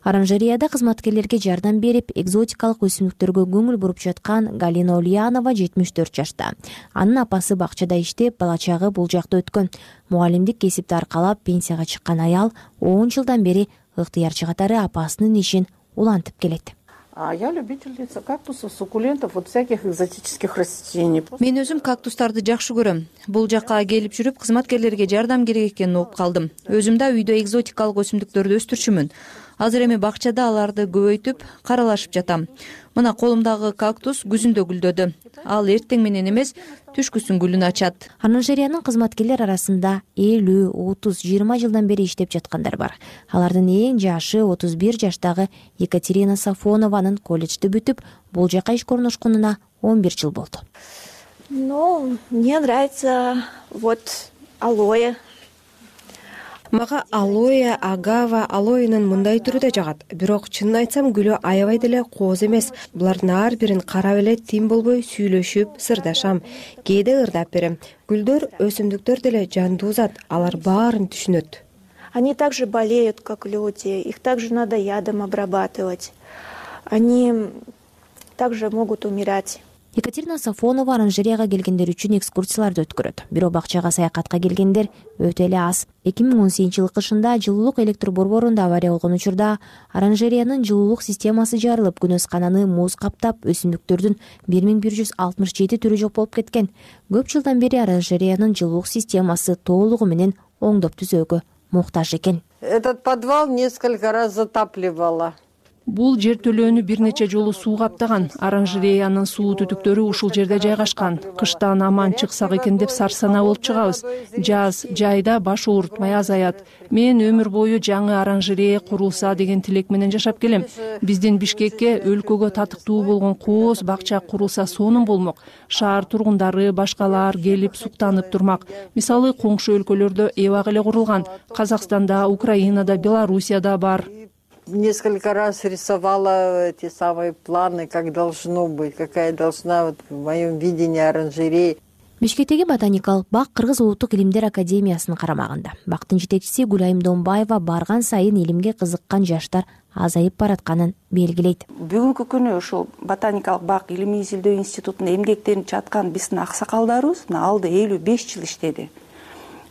S20: Оранжереяда кызматкерлерге жардам берип, экзотикалык өсүмдүктөргө көңүл буруп жаткан Галина Ульянова 74 жашта. Анын апасы бакчада иштеп, бала чагы бул жакта өткөн. Мугалимдик кесипти аркалап пенсияга чыккан аял 10 жылдан бери ыктыярчы катары апасынын ишин улантып келет.
S21: Я любительница кактусов, суккулентов, вот всяких экзотических растений.
S22: Мен өзүм кактустарды жакшы көрөм. Бул жакка келип жүрүп, кызматкерлерге жардам керек экенин угуп калдым. Өзүм да үйдө экзотикалык өсүмдүктөрдү өстүрчүмүн. Азыр эми бакчада аларды көбөйтүп, каралашып жатам. Мына колумдагы кактус күзүндө гүлдөдү. Ал эртең менен эмес, түшкүсүн гүлүн ачат.
S20: Оранжереянын кызматкерлер арасында 50, 30, 20 жылдан бери иштеп жаткандар бар. Алардын эң жашы 31 жаштагы Екатерина Сафонованын колледжди бүтүп, бул жака ишке орношконуна 11 жыл болду.
S23: Мне нравится алоэ.
S6: Мага алоэ, агава, алоэнин мындай түрү да жагат. Бирок чынын айтсам, гүлү аябай деле кооз эмес. Булардын ар бирин карап эле тим болбой сүйлөшүп, сырдашам. Кээде ырдап берем. Гүлдөр, өсүмдүктөр деле жандуу зат, алар баарын түшүнөт.
S23: Они также болеют, как люди. Их также надо ядом обрабатывать. Они также могут умирать.
S20: Екатерина Сафонова оранжереяга келгендер үчүн экскурсияларды өткөрөт. Бирок бакчага саякатка келгендер өтө эле аз. 2018-жылы кышында жылуулук электр борборунда авария болгон учурда оранжереянын жылуулук системасы жарылып, күнөскананы муз каптап, өсүмдүктөрдүн 1167 түрү жок болуп кеткен. Көп жылдан бери оранжереянын жылуулук системасы толугу менен оңдоп түзөөгө муктаж экен.
S19: Этот подвал несколько раз затапливало.
S14: Бул жертөлөөнү бир нече жолу суу каптаган. Оранжереянын суу түтүктөрү ушул жерде жайгашкан. Кыштан аман чыксак экен деп сарсанаа болуп чыгабыз. Жаз, жайда баш оорутмай азаят. Мен өмүр бою жаңы оранжерея курулса деген тилек менен жашап келем. Биздин Бишкекке өлкөгө татыктуу болгон кооз бакча курулса сонун болмок. Шаар тургундары, башкалар келип суктанып турмак. Мисалы, коңшу өлкөлөрдө эбак эле курулган. Казакстанда, Украинада, Белоруссияда бар.
S19: Несколько раз рисовала эти самые планы, как должно быть, какая должна в моем видении оранжерея.
S20: Бишкектеги ботаникалык бак Кыргыз Улуттук илимдер академиясынын карамагында. Бактын жетекчиси Гүлайым Домбаева барган сайын илимге кызыккан жаштар азайып баратканын белгилейт.
S21: Бүгүнкү күнү ошол ботаникалык бак илимий изилдөө институтунда эмгектенип жаткан биздин аксакалдарыбыз алды 55 жыл иштеди.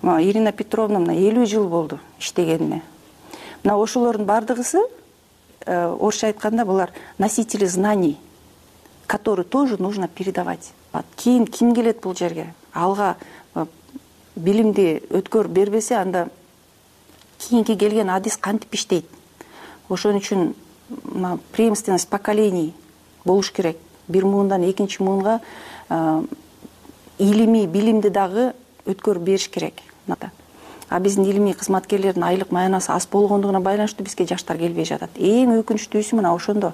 S21: Ирина Петровна 50 жыл болду иштегенине. Ошолордун бардыгысы, орусча айтканда, булар носители знаний, которые тоже нужно передавать. Кийин ким келет бул жерге? Алга билимди өткөр бербесе, анда кийинки келген адис кантип иштейт? Ошон үчүн преемственность поколений болуш керек. Бир муундан экинчи муунга илимий билимди дагы өткөрүп бериш керек. А биздин илимий кызматкерлердин айлык маянасы аз болгондугуна байланыштуу бизге жаштар келбей жатат. Эң өкүнүчтүүсү мына ошондо.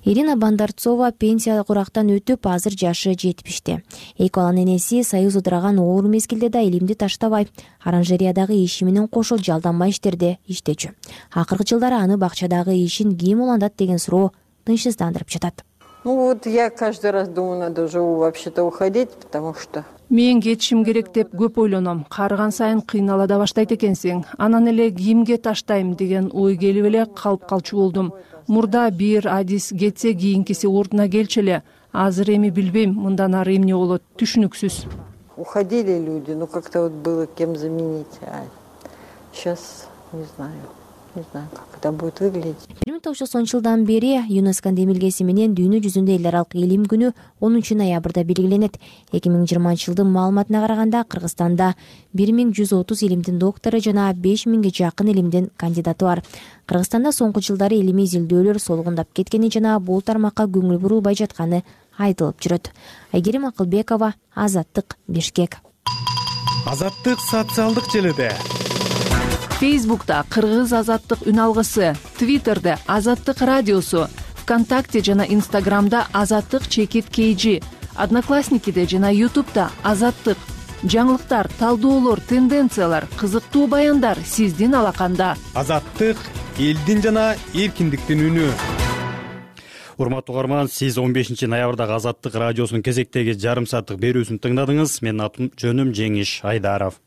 S20: Ирина Бандарцова пенсия курактан өтүп, азыр жашы 70-те. Эки баланын энеси союз ыдыраган оор мезгилде да илимди таштабай, оранжериядагы иши менен кошо жалданма иштерде иштечү. Акыркы жылдары аны бакчадагы ишин ким улантат деген суроо тынчсыздандырып жатат.
S19: Я каждый раз думаю, надо уже вообще-то уходить, потому что
S14: мен кетишим керек деп көп ойлоном. Карыган сайын кыйнала да баштайт экенсиң. Анан эле кимге таштайм деген ой келип эле калып калчу болдум. Мурда бир адис кетсе кийинкиси ордуна келчү эле. Азыр эми билбейм, мындан ары эмне болот, түшүнүксүз.
S19: Уходили люди, как-то вот было кем заменить. Сейчас не знаю, как это будет выглядеть.
S20: 1990 бери ЮНЕСКО демилгеси менен дүйнө жүзүндө эл аралык илим күнү 10 ноябрда белгиленет. 2020-жылдын маалыматына караганда Кыргызстанда 1130 илимдин доктору жана 5000ге жакын илимдин кандидаты бар. Кыргызстанда соңку жылдары илимий изилдөөлөр солгундап кеткени жана бул тармакка көңүл бурулбай жатканы айтылып жүрөт. Айгерим Акылбекова, Азаттык, Бишкек.
S1: Азаттык социалдык желиде.
S14: Фейсбукта Кыргыз азаттык үн алгысы, Твиттерде Азаттык радиосу, ВКонтакте жана Инстаграмда Азаттык чекит KG, Одноклассникиде жана Ютубта Азаттык. Жаңылыктар, талдоолор, тенденциялар, кызыктуу баяндар сиздин алаканда.
S1: Азаттык элдин жана эркиндиктин үнү.
S2: Урматтуу угарман, сиз 15 ноябрдагы Азаттык радиосунун кезектеги жарым сааттык берүүсүн тыңдадыңыз. Менин атым жөнүм Жеңиш Айдаров.